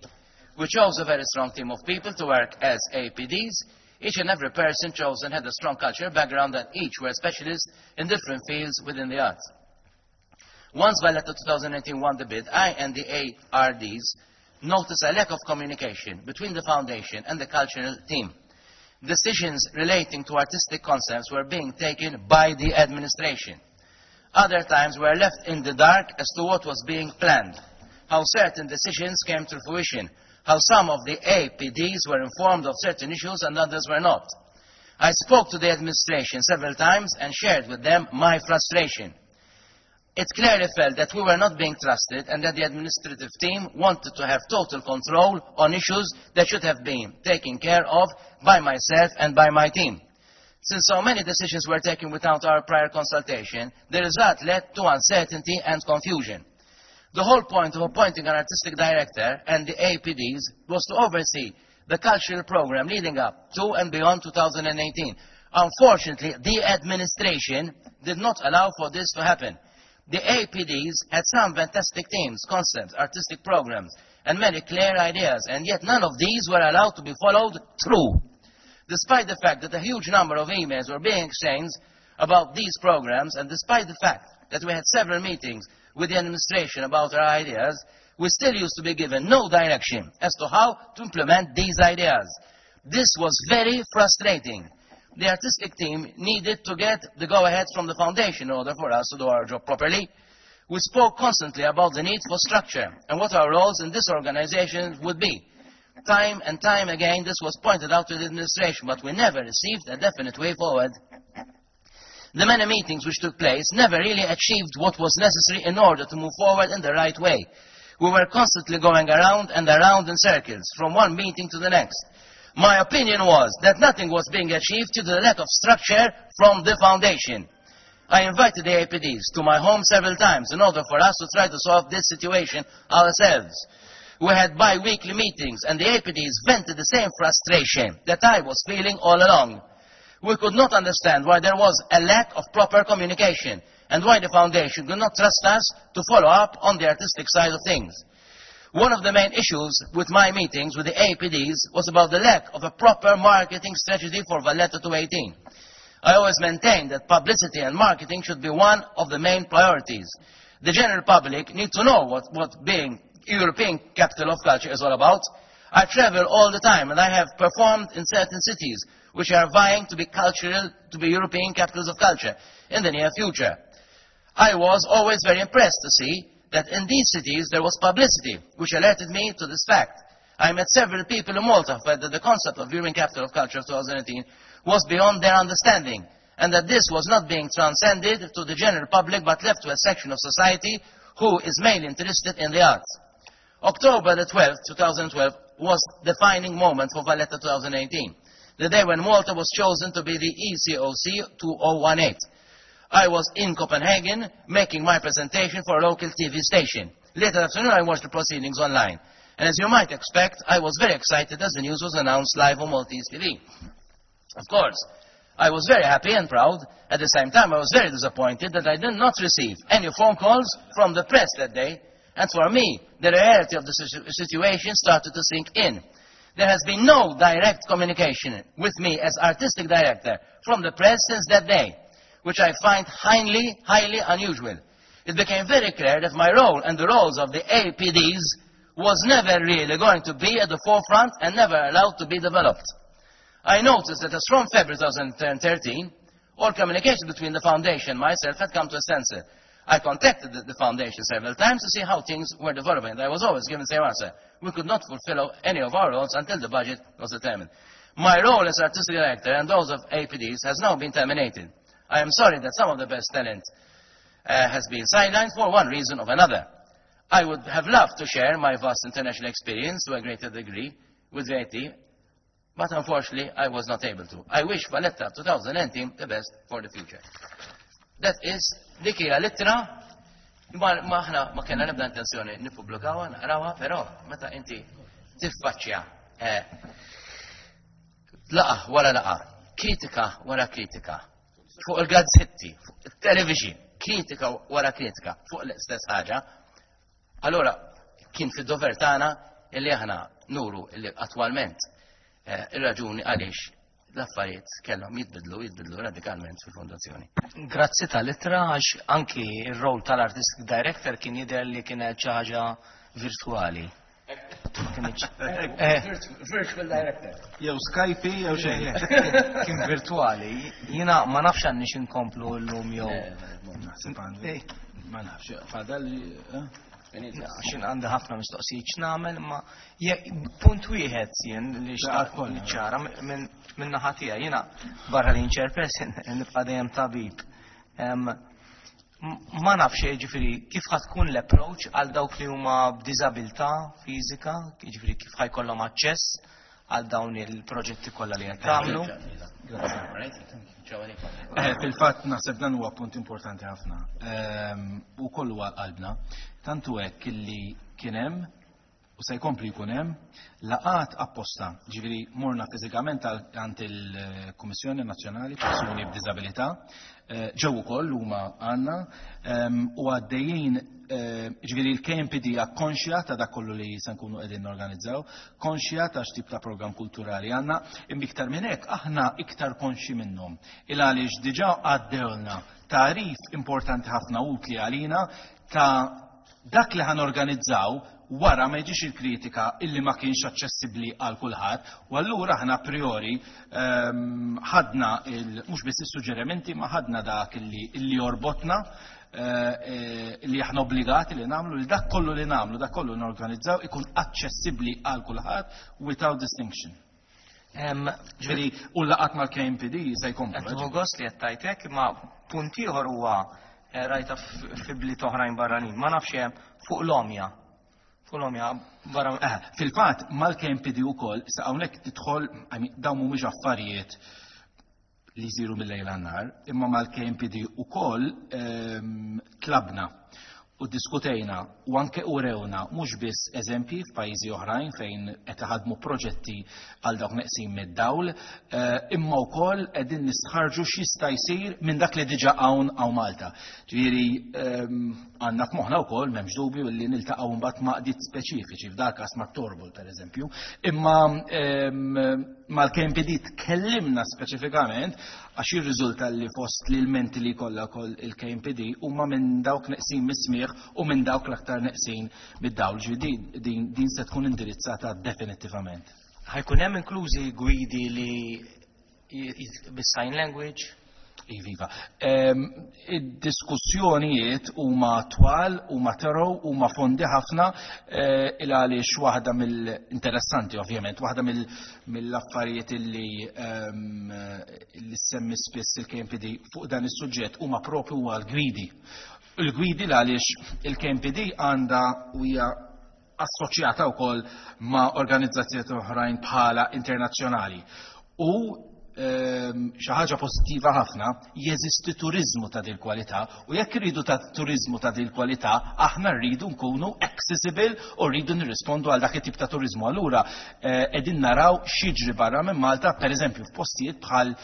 We chose a very strong team of people to work as APDs. Each and every person chosen had a strong cultural background and each were specialists in different fields within the arts. Once Valletta twenty eighteen won the bid, I and the A R Ds noticed a lack of communication between the foundation and the cultural team. Decisions relating to artistic concepts were being taken by the administration. Other times we were left in the dark as to what was being planned, how certain decisions came to fruition, how some of the A P Ds were informed of certain issues and others were not. I spoke to the administration several times and shared with them my frustration. It clearly felt that we were not being trusted and that the administrative team wanted to have total control on issues that should have been taken care of by myself and by my team. Since so many decisions were taken without our prior consultation, the result led to uncertainty and confusion. The whole point of appointing an artistic director and the A P Ds was to oversee the cultural program leading up to and beyond two thousand eighteen. Unfortunately, the administration did not allow for this to happen. The A P Ds had some fantastic themes, concepts, artistic programs, and many clear ideas, and yet none of these were allowed to be followed through. Despite the fact that a huge number of emails were being exchanged about these programs, and despite the fact that we had several meetings with the administration about our ideas, we still used to be given no direction as to how to implement these ideas. This was very frustrating. The artistic team needed to get the go-ahead from the foundation in order for us to do our job properly. We spoke constantly about the need for structure and what our roles in this organization would be. Time and time again, this was pointed out to the administration, but we never received a definite way forward. The many meetings which took place never really achieved what was necessary in order to move forward in the right way. We were constantly going around and around in circles, from one meeting to the next. My opinion was that nothing was being achieved due to the lack of structure from the foundation. I invited the A P Ds to my home several times in order for us to try to solve this situation ourselves. We had bi-weekly meetings and the A P Ds vented the same frustration that I was feeling all along. We could not understand why there was a lack of proper communication and why the foundation could not trust us to follow up on the artistic side of things. One of the main issues with my meetings with the A P Ds was about the lack of a proper marketing strategy for Valletta two eighteen. I always maintained that publicity and marketing should be one of the main priorities. The general public need to know what, what being European capital of culture is all about. I travel all the time and I have performed in certain cities which are vying to be cultural, to be European capitals of culture in the near future. I was always very impressed to see that in these cities there was publicity, which alerted me to this fact. I met several people in Malta who felt that the concept of European Capital of Culture of two thousand eighteen was beyond their understanding, and that this was not being transcended to the general public but left to a section of society who is mainly interested in the arts. October the twelfth, two thousand twelve was the defining moment for Valletta two thousand eighteen, the day when Malta was chosen to be the E C O C two oh one eight. I was in Copenhagen making my presentation for a local T V station. Later that afternoon, I watched the proceedings online. And as you might expect, I was very excited as the news was announced live on Maltese T V. Of course, I was very happy and proud. At the same time, I was very disappointed that I did not receive any phone calls from the press that day. And for me, the reality of the situ-, situation started to sink in. There has been no direct communication with me as artistic director from the press since that day, which I find highly, highly unusual. It became very clear that my role and the roles of the A P Ds was never really going to be at the forefront and never allowed to be developed. I noticed that as from February two thousand thirteen, all communication between the foundation and myself had come to a standstill. I contacted the, the foundation several times to see how things were developing. I was always given the same answer. We could not fulfill any of our roles until the budget was determined. My role as artistic director and those of A P Ds has now been terminated. I am sorry that some of the best talent uh, has been sidelined for one reason or another. I would have loved to share my vast international experience to a greater degree with V A T, but unfortunately I was not able to. I wish Valletta twenty nineteen the best for the future. That is, dik hija l-ittra, ma aħna ma kellna nibda intenzjoni nippubblikawha, naqrawha, però meta inti tiffaċċja eh, laqgħa wara laqgħa, kritika wara kritika, fuq il-gazzetti, fuq il-television, kritika wara kritika, fuq l-istess ħaġa, allora kien fid-dover tagħna illi aħna nuru illi attwalment eh, ir-raġuni għaliex l-affarijiet kellhom jitbidlu, jitbidlu radikalment fil-fondazzjoni. Grazzi tal-ittra, għax anki il-rol tal-artistic director kien jidher li kienet xi ħaġa virtuali. Ma kienx- Eh, Virtual director. Jew Skype jew xejn. Kien virtuali. Jiena ma nafx għandniex inkomplu llum jew. Naħseb għandu. Eh, Ma nafx, fadal. eh? Għax għandi ħafna mistoqsijiet x'nagħmel, ma je- punt wieħed jien li xtaqt kollha. ċara minn minn naħa tiegħi, jiena barra li chairperson nibqa' dejjem tabib. Em, m- Ma nafx, ġifieri, kif ħa tkun l-approach għal dawk li huma b'diżabilità fiżika, ġifieri kif ħa jkollhom aċċess għal dawn il-proġetti kollha li qed tagħmlu. Eh, Fil-fatt naħseb dan huwa punt importanti ħafna. Ehm, U kollu għal qalbna. Tantu hekk illi kien hemm u se jkompli jkun hemm laqgħat apposta. Ġifieri morna fiżikament għal- għand il-Kummissjoni Nazzjonali Persuni b'Diżabilità, eh, ġew ukoll huma għandna ehm, u għaddejjin eh, ġifieri l-K M P D hija konxja ta' dak kollu li se nkunu qegħdin norganizzaw, konxja ta' x'tip ta' programm kulturali għandna, imma iktar minn hekk aħna iktar konxji minnhom. Il għaliex diġà għaddewlna tagħrif importanti ħafna, utli għalina, ta' dak li ħa norganizzaw wara ma jiġix il-kritika illi ma kienx aċċessibbli għal kulħadd, u allura aħna a priori ehm, ħadna il mhux biss is-suġġerimenti, ma ħadna dak illi illi jorbotna, eh, eh, li aħna obbligati li nagħmlu li dak kollu li nagħmlu, dak kollu norganizzaw ikun aċċessibbli għal kulħadd without distinction. Em, Ġifieri u laqgħat mal-K M P D se jkomplu. Qed tieħu gost li qed tajtek, ma punt ieħor huwa eh, rajta f- fi bliet oħrajn barranin. Ma nafx hemm fuq l-għomja. Fuq l-għomja barra. Eh, Fil-fatt mal-K M P D ukoll, sa hawnhekk tidħol, I mean, dawn mhumiex affarijiet li jsiru mill-lejl għan-nhar, imma mal-K M P D ukoll ehm, tlabna u diskutejna u anke urewna mhux biss eżempji f'pajjiżi oħrajn fejn qed iħadmu proġetti għal dawk neqsin mid-dawl, eh, imma wkoll qegħdin nistħarġu x'jista' jsir minn dak li diġà hawn hawn Malta. Ġifieri ehm, għandna f'moħħna wkoll, m'hemmx dubju, li niltaqgħu mbagħad ma' għaqdiet speċifiċi, f'dal każ ma' Torbol pereżempju, imma ehm, mal-K M P D tkellimna speċifikament għax jirriżulta li fost li l-menti li kollha koll il-K M P D huma minn dawk neqsin mis-smieħ u minn dawk l-aktar neqsin mid-dawl. Ġifieri din, din se tkun indirizzata definittivament. Ħa jkun hemm inklużi gwidi li j- j- bis-sign language. Iviva. Ehm, Id-diskussjonijiet huma twal, huma thorough, huma fondi ħafna, eh, il għaliex waħda mill-interessanti ovvjament, waħda mill- mill-affarijiet illi ehm, illi semmi spiss il-K M P D fuq dan is-suġġett huma propju huwa l-gwidi. Il-gwidi l għaliex il-K M P D għandha u hija assoċjata wkoll ma' organizzazzjoni oħrajn bħala internazzjonali. U ehm, xi ħaġa pożittiva ħafna, jeżisti turizmu ta' dil kwalità u jekk irridu ta' turizmu ta' dil kwalità, aħna rridu nkunu accessible u rridu nirrispondu għal dak it-tip ta' turizmu. Allura eh, qegħdin naraw x'jiġri barra minn Malta, pereżempju f'postijiet bħal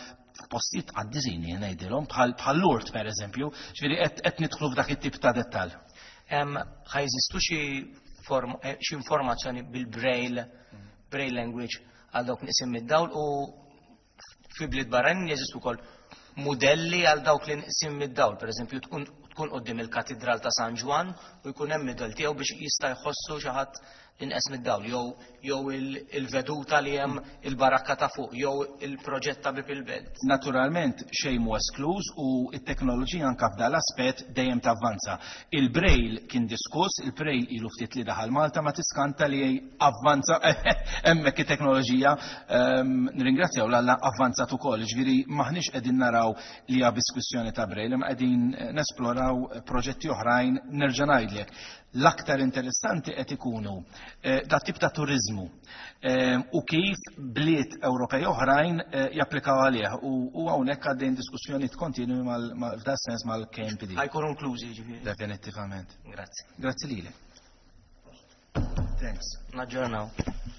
postijiet għad-dizini ngħidilhom bħal bħal Lourdes pereżempju, ġifieri qed qed nidħlu f'dak it-tip ta' dettall. Em, Ħa jeżistu xi form- eh, xi informazzjoni bil-braille, braille language għal dawk neqsin mid-dawl, u fi bliet barranin jeżistu wkoll modelli għal dawk li neqsin mid-dawl, per eżempju tkun tkun quddiem il-Katidral ta' San Ġwann u jkun hemm mudell tiegħu biex jista' jħossu xi ħadd Inqes mid-dawl, jew jew il-veduta li hemm il-barakka ta' fuq, jew il-proġett ta' Bieb il-Belt. Naturalment xejn mhu eskluż u t-teknoloġija anka f'dan l-aspett dejjem tavvanza. Il-Braille kien diskuss, il-Braille ilu ftit li daħal Malta, ma tiskanta li avvanza hemmhekk it-teknoloġija, ehm, nirringrazzjaw l-Alla, avvanzat ukoll. Ġifieri maħniex qegħdin naraw li hija biss kwistjoni ta' Braille, imma qegħdin nesploraw proġetti oħrajn. Nerġa' ngħidlek, l-aktar interessanti qed ikunu eh, dat tip ta' turizmu eh, u kif bliet Ewropej oħrajn eh, japplikaw għalih u u hawnhekk għaddejn diskussjonijiet kontinwi f'dan sens mal-K M P D. Ħa jkunu inklużi, ġifieri. Definitivament. Grazzi. Grazzi lilek. Thanks. Naġġornaw.